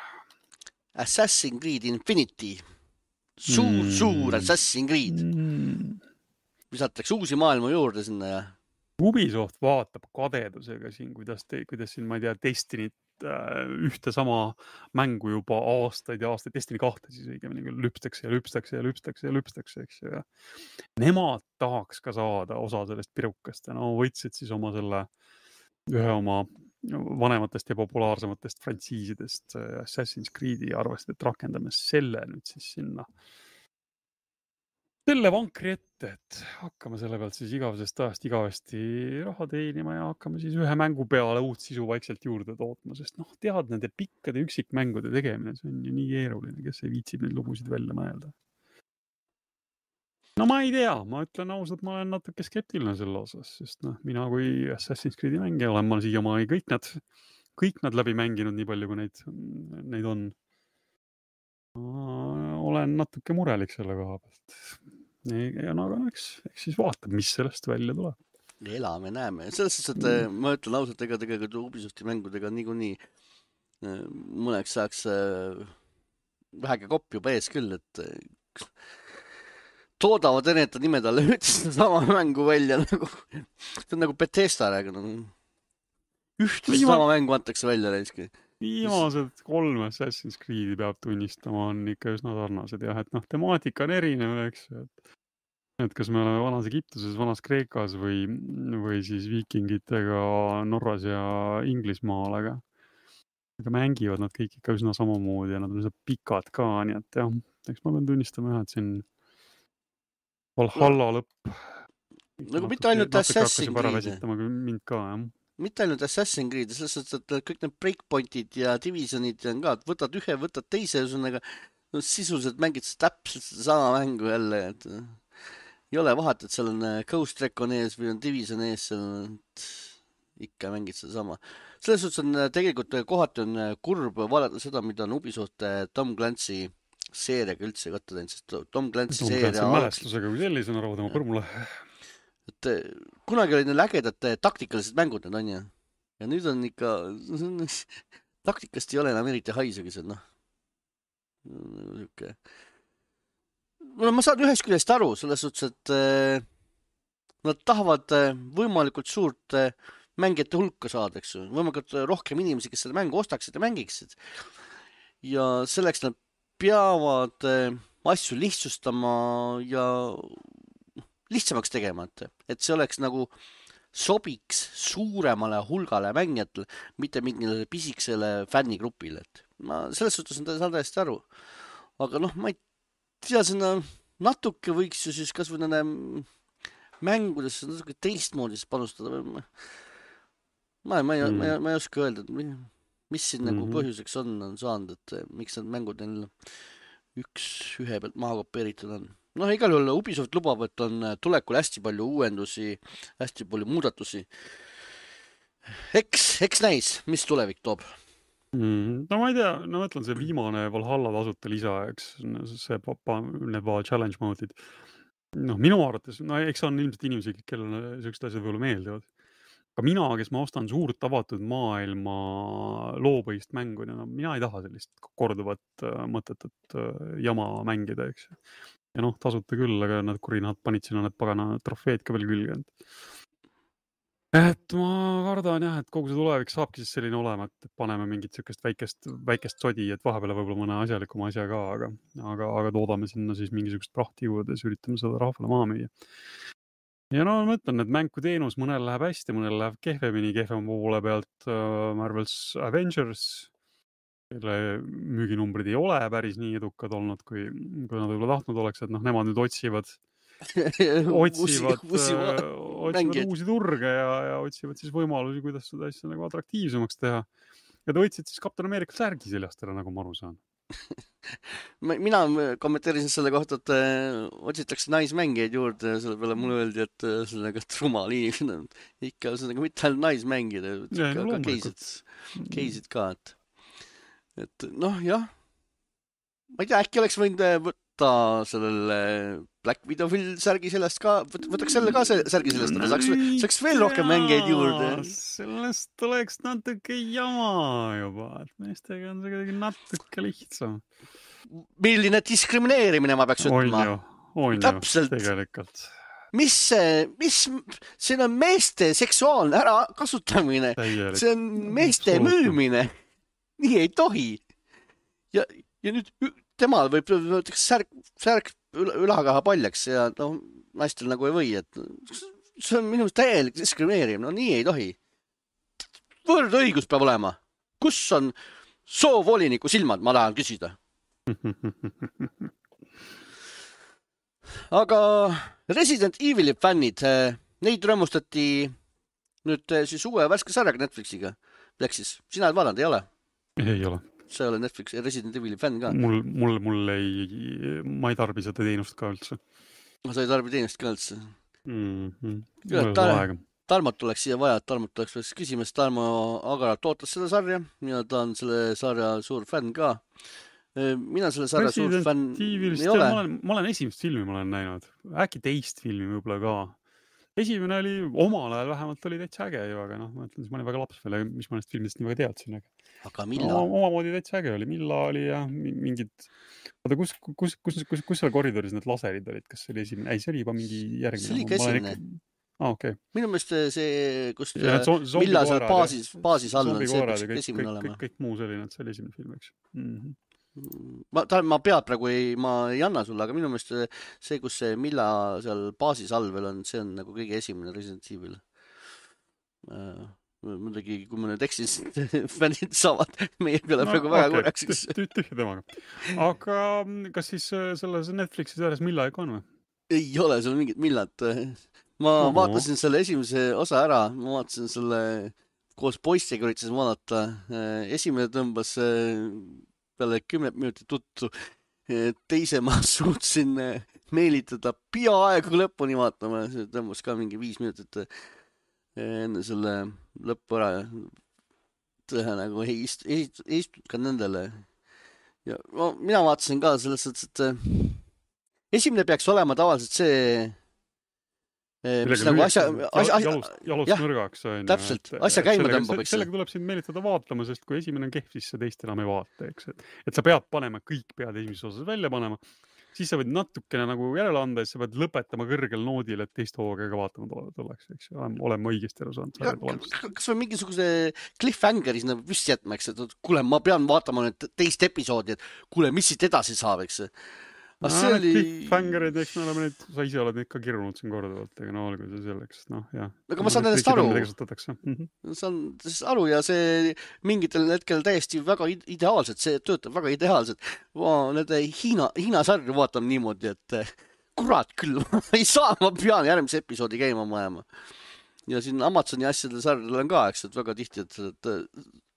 Assassin's Creed Infinity. Suur Assassin's Creed. Lisatakse uusi maailma juurde sinna ja Ubisoft vaatab kadedusega siin, kuidas siin, ma ei tea, Destinit ühte sama mängu juba aastaid ja aastaid, Destiny 2 siis õigemini küll lüpstakse, eks ju. Nemad tahaks ka saada osa sellest pirukast ja võtsid siis ühe oma vanematest ja populaarsematest frantsiisidest Assassin's Creed'i ja arvasid, et rakendame selle nüüd siis sinna. Selle vankri ette, et hakkame selle pealt siis igavesest ajast igavesti raha teenima ja hakkame siis ühe mängu peale uut sisu vaikselt juurde tootma, sest tead nende pikkade üksikmängude tegemine, see on ju nii keeruline, kes ei viitsib neid lugusid välja mõelda. No ma ei tea, ma ütlen ausalt, ma olen natuke skeptiline selle osas, sest mina kui Assassin's Creed'i mängija olen ma siiamaani kõik nad läbi mänginud nii palju, kui neid on. Olen natuke murelik selle koha pealt. Ja eks siis vaatab, mis sellest välja tuleb. Elame, näeme. Selles suhtes, et ma ütlen ausalt, ega tegelikult Ubisofti mängudega niikuinii mõneks saaks vähegi kopp juba ees küll, et toodavad enneta nimed alla üldse sama mängu välja nagu. See on nagu Bethesda rääginud. Ühte sama mängu antakse välja reiski. Viimased 3 Assassin's Creed'i peab tunnistama on ikka üsna sarnased jah, et temaatika on erinev, eks ju, et kas me oleme vanas Egiptuses, vanas Kreekas või siis viikingitega Norras ja Inglismaal, aga mängivad nad kõik ikka üsna samamoodi ja nad on üsna pikad ka, nii et jah, eks ma pean tunnistama, et siin Valhalla lõpp. Nagu mitte ainult Assassin's Creed. Mind ka, jah. Mitte ainult Assassin's Creed, selles suhtes, et kõik need breakpointid ja divisionid on ka, et võtad ühe, võtad teise, ühesõnaga sisuliselt mängid täpselt sama mängu jälle, et ei ole vahet, et seal on Ghost Recon ees või on Division ees, ikka mängid seda sama. Selles suhtes on tegelikult kohati on kurb vaadata seda, mida on Ubisoft Tom Clancy seeriaga üldse katta teinud, sest Tom Clancy seeria mälestusega kui sellisena arvad oma põrmule. Et kunagi olid need ägedad taktikalised mängud, need on ju. Ja nüüd on ikka, taktikast ei ole enam eriti haisegi seal, ma saan ühest küljest aru, selles suhtes, et nad tahavad võimalikult suurt mängijate hulka saada, eks ju. Võimalikult rohkem inimesi, kes selle mängu ostaksid ja mängiksid. Ja selleks nad peavad asju lihtsustama ja lihtsamaks tegema, et see oleks nagu sobiks suuremale hulgale mängijatele, mitte mingile pisiksele fännigrupile, et ma selles suhtes saan täiesti aru. Aga ma ei tea, sinna natuke võiks ju siis kas või nende mängudesse natuke teistmoodi panustada. Ma ei oska öelda, mis siin nagu põhjuseks on saanud, et miks need mängud neil ühe pealt maha kopeeritud on. Igal juhul Ubisoft lubab, et on tulekul hästi palju uuendusi, hästi palju muudatusi. Eks näis, mis tulevik toob. No ma ei tea, mõtlen see viimane Valhalla tasuta lisa, eks see need challenge mode'id. Minu arvates, eks on ilmselt inimesi, kellele sellised asjad võib-olla meeldivad. Aga mina, kes ma ostan suurt avatud maailma loopõhist mängu, mina ei taha sellist korduvat mõtetut jama mängida, eks. Ja tasuta küll, aga nad kurinad panid sinna need pagana trofeed ka veel külge. Et ma kardan jah, et kogu see tulevik saabki siis selline olema, et paneme mingit sellist väikest sodi, et vahepeal võib-olla mõne asjalikuma asja ka, aga toodame sinna siis mingisugust prahti juurde, siis üritame seda rahvale maha müüa. Ja no ma mõtlen, et mängu teenus mõnel läheb hästi, mõnel läheb kehvemini, kehvema poole pealt Marvel's Avengers, kelle müüginumbrid ei ole päris nii edukad olnud, kui nad võib-olla tahtnud oleks, et noh, nemad nüüd otsivad mängijaid. uusi turge ja otsivad siis võimalusi, kuidas seda asja nagu atraktiivsemaks teha. Ja ta võtsid siis Captain America särgi seljast ära, nagu ma aru saan. Mina kommenteerisin selle kohta, et otsitakse naismängijaid juurde ja selle peale mulle öeldi, et sellega rumal inimene ikka sellega mitte ainult naismängijad, ka keisid ka, et noh, jah. Ma ei tea, äkki oleks võinud võtta sellele Black Widow särgi sellest ka, võtaks selle ka särgi sellest, aga saaks veel rohkem mängijaid juurde. Sellest oleks natuke jama juba, et meestega on see kuidagi natuke lihtsam. Milline diskrimineerimine ma peaks ütlema? On ju, tegelikult. Mis see on meeste seksuaalne ära kasutamine, see on meeste müümine, nii ei tohi. Ja nüüd temal võib särk ülakaha paljaks ja no, naistel nagu ei või, et see on minu täielik diskrimineerimine, no nii ei tohi. Võrdõigus peab olema. Kus on soovoliniku silmad, ma tahan küsida. Aga Resident Evili fännid, neid rõõmustati nüüd siis uue värske sarjaga Netflixiga. Sina oled vaadanud, ei ole? Ei ole. Sa ei ole Netflix ja Resident Evili fänn ka? Ma ei tarbi seda teenust ka üldse. Sa ei tarbi teenust ka üldse? Tarmot oleks siia vaja, et Tarmot oleks küsimas. Tarmo Agarat ootas seda sarja ja ta on selle sarja suur fänn ka. Mina selle sarja suur fänn ei ole. Ma olen esimest filmi näinud. Äkki teist filmi võib-olla ka. Esimene oli omal ajal vähemalt oli täitsa äge ju, aga noh, ma ütlen, ma olin väga laps veel, mis ma nendest filmidest nii väga teadsin. Aga millal? Omamoodi täitsa äge oli. Millal oli ja mingid... Oota, kus seal koridoris need laserid olid? Kas see oli esimene? Ei, see oli juba mingi järgmine. See oli ka esimene. Okay. Minu meelest see, kus millal seal baasis all on, see peaks esimene olema. Kõik muu selline, et see oli esimene film, eks. Ma pead praegu ma ei anna sulle, aga minu meelest see, kus see Milla seal baasis all veel on, see on nagu kõige esimene Resident Evil. Muidugi, kui ma nüüd eksin, fännid saavad meie peale praegu väga korraks. Tühja temaga. Aga kas siis selles Netflixis järjes Milla ikka on või? Ei ole seal mingit Millat. Ma vaatasin selle esimese osa ära, ma vaatasin selle koos poistega üritasin vaadata. Esimene tõmbas peale 10 minutit tuttu. Teise ma suutsin meelitada peaaegu lõpuni vaatama. See tõmbas ka mingi 5 minutit enne selle lõppu ära. Tõhe nagu ei istunud ka nendele. Ja mina vaatasin ka selles, et esimene peaks olema tavaliselt see nagu jalust nõrgaks. Täpselt, asja käima tõmbab. Sellega tuleb sind meelitada vaatama, sest kui esimene on kehv, siis sa teist enam ei vaata. Eks? Et sa pead panema, kõik pead esimeses osas välja panema. Siis sa võid natukene nagu järele anda, et sa pead lõpetama kõrgel noodil, et teist hooga ka vaatama tulleks. Eks? Oleme õigesti aru saanud. Kas või mingisuguse cliffhangeris püsti jätma, eks? Et kuule, ma pean vaatama nüüd teist episoodi, et kuule, mis siit edasi saab, eks? Cliffhangerid, eks me oleme neid, sa ise oled neid ka kirjunud siin korduvalt, aga no olgu see selleks, noh, jah. Aga ma saan nendest aru. Saan aru ja see mingitel hetkel täiesti väga ideaalselt, see töötab väga ideaalselt. Ma nende Hiina sarju vaatan niimoodi, et kurat küll, ma ei saa, ma pean järgmise episoodi käima majama. Ja siin Amazoni asjade sarjadel on ka, eks, et väga tihti, et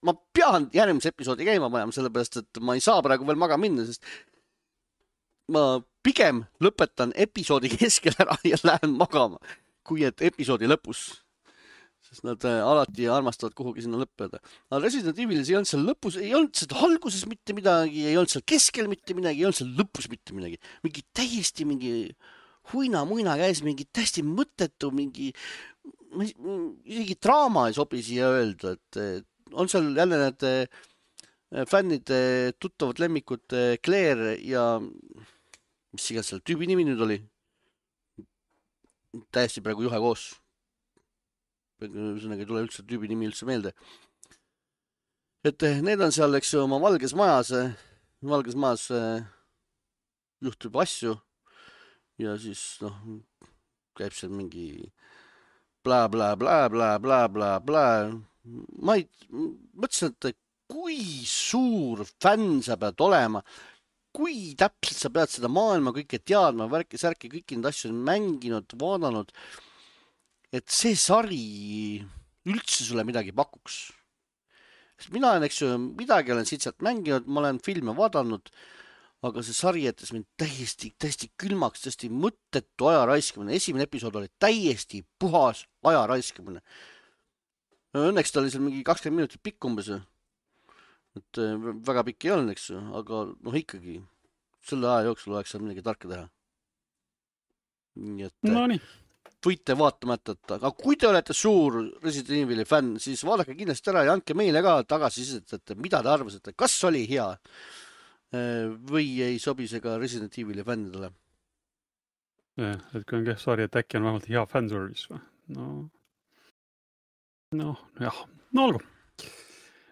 ma pean järgmise episoodi käima majama, sellepärast, et ma ei saa praegu veel maga minna, sest ma pigem lõpetan episoodi keskel ära ja lähen magama, kui et episoodi lõpus. Sest nad alati armastavad kuhugi sinna lõppeda. Aga Resident Evilis ei olnud seal lõpus, ei olnud seal alguses mitte midagi, ei olnud seal keskel mitte midagi, ei olnud seal lõpus mitte midagi. Mingi täiesti mingi huina-muina käis, mingi täiesti mõttetu, mingi isegi draama ei sobi siia öelda, et on seal jälle need fännide tuttavad lemmikud Claire ja mis igas seal tüübi nimi nüüd oli? Täiesti praegu juhe koos. Ühesõnaga ei tule üldse tüübi nimi üldse meelde. Et need on seal, eks ju, oma valges majas. Valges majas juhtub asju. Ja siis, noh, käib seal mingi bla, bla, bla, bla, bla, bla, bla. Ma mõtlesin, et kui suur fänn sa pead olema, kui täpselt sa pead seda maailma kõike teadma, värki, kõiki neid asju mänginud, vaadanud, et see sari üldse sulle midagi pakuks. Mina olen, eks ju, midagi olen siit sealt mänginud, ma olen filme vaadanud, aga see sari jättis mind täiesti külmaks, täiesti mõttetu aja raiskamine. Esimene episood oli täiesti puhas aja raiskamine. Õnneks ta oli seal mingi 20 minutit pikk umbes. Et väga pikk ei olnud, eks ju, aga ikkagi selle aja jooksul oleks seal midagi tarka teha. Nii et No nii. võite vaatamata, aga kui te olete suur Resident Evil'i fänn, siis vaadake kindlasti ära ja andke meile ka tagasisidet, et mida te arvasite, kas oli hea või ei sobi see ka Resident Evil'i fännidele. Et kui on kehv sari, et äkki on vähemalt hea fanservice või? No jah, no olgu.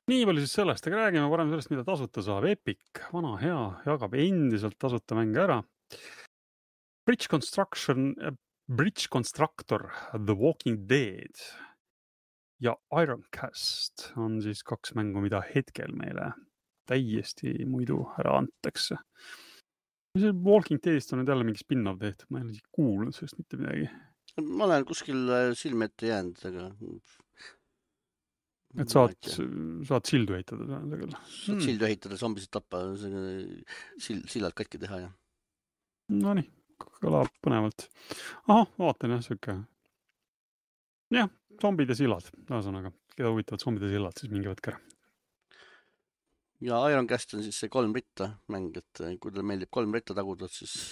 Nii palju siis sellest, aga räägime parem sellest, mida tasuta saab. Epic, vana hea, jagab endiselt tasuta mänge ära. Bridge Constructor, The Walking Dead ja Ironcast on siis 2 mängu, mida hetkel meile täiesti muidu ära antakse. See Walking Deadist on nüüd jälle mingi spin-off tehtud, ma ei ole kuulnud sellest mitte midagi. Ma olen kuskil silme ette jäänud, aga... Et saad sildu heitada. Saad sildu heitada, zombisid tappa, sillad katki teha, jah. No nii, kõlab põnevalt. Aha, vaatan jah, sööke. Jah, zombid ja sillad, ühesõnaga. Keda huvitavad zombid ja sillad, siis mingi võtke ära. Ja Ironcast on siis see 3 ritta mäng, et kui teile meeldib 3 ritta taguda, siis...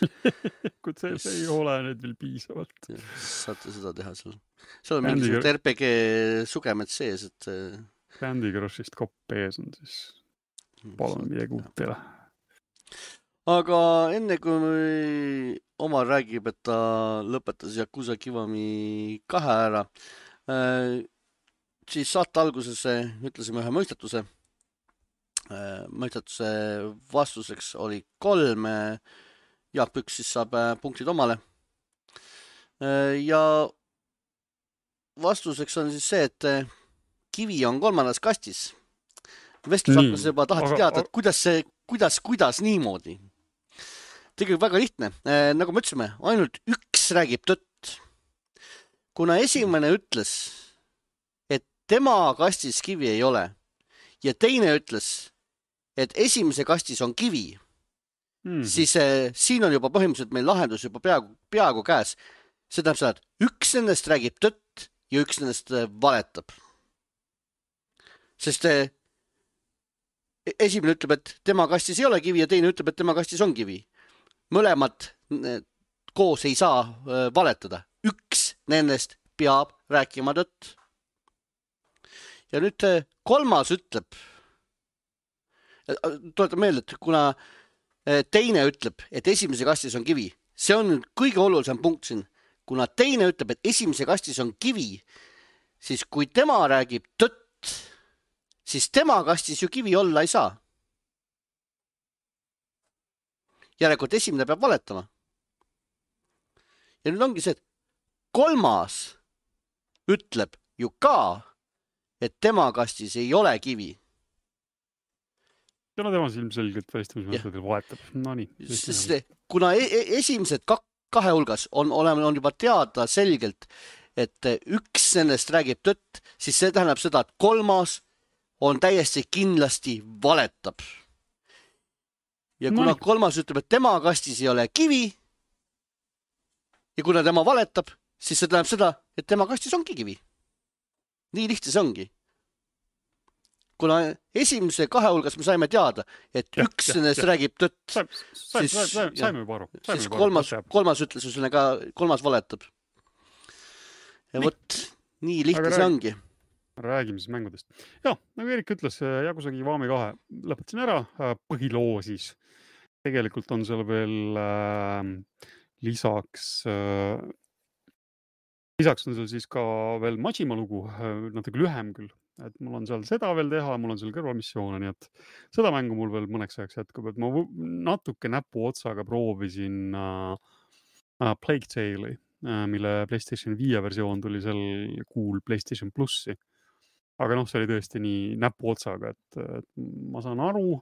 kui see ei ole nüüd veel piisavalt. Saate seda teha seal. Seal on mingisugused RPG sugemed sees, et... Candy Crushist kopp ees on siis... Palun midagi uut teile. Aga enne kui Omar räägib, et ta lõpetas Yakuza Kiwami 2 ära, siis saate alguses ütlesime ühe mõistatuse. Mõistatuse vastuseks oli 3. Jaak Püks siis saab punktid omale. Ja vastuseks on siis see, et kivi on 3. kastis. Vestlus hakkas juba tahati teada, et kuidas niimoodi. Tegelikult väga lihtne. Nagu me ütlesime, ainult üks räägib tõtt. Kuna esimene ütles, et tema kastis kivi ei ole ja teine ütles, et esimese kastis on kivi, siis siin on juba põhimõtteliselt meil lahendus juba peaaegu käes. See tähendab seda, et üks nendest räägib tõtt ja üks nendest valetab. Sest esimene ütleb, et tema kastis ei ole kivi ja teine ütleb, et tema kastis on kivi. Mõlemad koos ei saa valetada. Üks nendest peab rääkima tõtt. Ja nüüd 3. ütleb, tuletan meelde, et kuna teine ütleb, et esimese kastis on kivi, see on kõige olulisem punkt siin. Kuna teine ütleb, et esimese kastis on kivi, siis kui tema räägib tõtt, siis tema kastis ju kivi olla ei saa. Järelikult esimene peab valetama. Ja nüüd ongi see, et 3. ütleb ju ka, et tema kastis ei ole kivi. Ja no tema ilmselgelt välistamismeetodil valetab. No nii. Kuna esimesed 2 hulgas on juba teada selgelt, et üks nendest räägib tõtt, siis see tähendab seda, et 3. on täiesti kindlasti valetab. Ja kuna 3. ütleb, et tema kastis ei ole kivi ja kuna tema valetab, siis see tähendab seda, et tema kastis ongi kivi. Nii lihtne see ongi. Kuna esimese 2 hulgas me saime teada, et üks nendest räägib tõtt, saime juba aru. Siis 3. ütles üsna ka, 3. valetab. Ja võt, nii lihtne see ongi. Räägime siis mängudest. Ja, nagu Erik ütles, Yakuza Kiwami 2 lõpetasin ära põhiloo siis. Tegelikult on seal veel lisaks on seal siis ka veel Majima lugu, natuke lühem küll. Et mul on seal seda veel teha, mul on seal kõrvalmissioone, nii et seda mängu mul veel mõneks ajaks jätkub, et ma natuke näpu otsaga proovisin Plague Tale'i, mille PlayStation 5 versioon tuli sel kuul PlayStation Plussi. Aga noh, see oli tõesti nii näpuotsaga, et ma saan aru,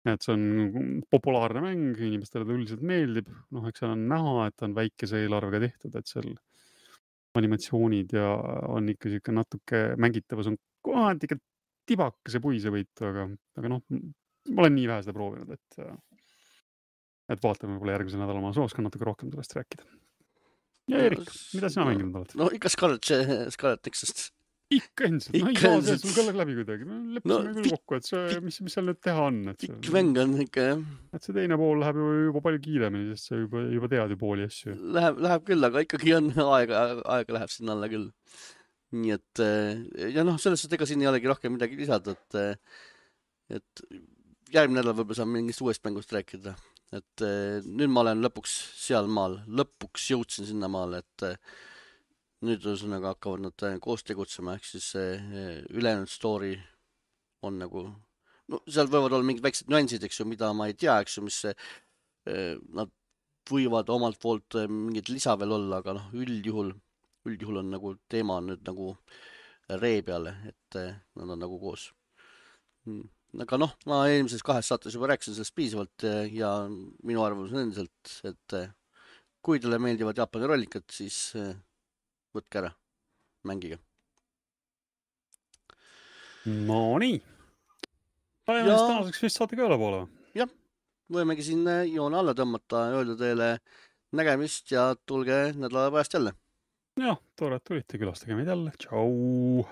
et see on populaarne mäng, inimestele ta üldiselt meeldib. Noh, eks seal on näha, et on väikese eelarvega tehtud, et seal animatsioonid ja on ikka siuke natuke mängitavus on kohati ikka tibakese puisevõitu, aga noh, ma olen nii vähe seda proovinud, et vaatame võib-olla järgmisel nädalal ma oskan natuke rohkem sellest rääkida. Ja Erik, mida sina mänginud oled? No ikka Scarlet Nexust. Ikka endiselt, no ei saa see sul ka läbi kuidagi. Leppisime küll kokku, et see, mis seal nüüd teha on. Pikk mäng on ikka, jah. Et see teine pool läheb juba palju kiiremini, sest sa juba tead ju pooli asju. Läheb küll, aga ikkagi on aega läheb sinna alla küll. Nii et, ja noh, selles suhtes ega siin ei olegi rohkem midagi lisada, et järgmine nädal võib-olla saan mingist uuest mängust rääkida. Et nüüd ma olen lõpuks seal maal, lõpuks jõudsin sinna maale, et nüüd ühesõnaga hakkavad nad koos tegutsema, ehk siis ülejäänud story on nagu, no seal võivad olla mingid väiksed nüansid, eks ju, mida ma ei tea, eks ju, mis nad võivad omalt poolt mingid lisa veel olla, aga noh, üldjuhul on nagu teema on nüüd nagu ree peale, et nad on nagu koos. Aga noh, ma eelmises 2 saates juba rääkisin sellest piisavalt ja minu arvamus on endiselt, et kui teile meeldivad Jaapani rollikad, siis võtke ära, mängige. No nii. Tänaseks vist saate ka üle poole. Jah, võimegi siin joone alla tõmmata, öelda teile nägemist ja tulge nädala pärast jälle. Jah, tore, et tulite, külastage meid jälle. Tšau!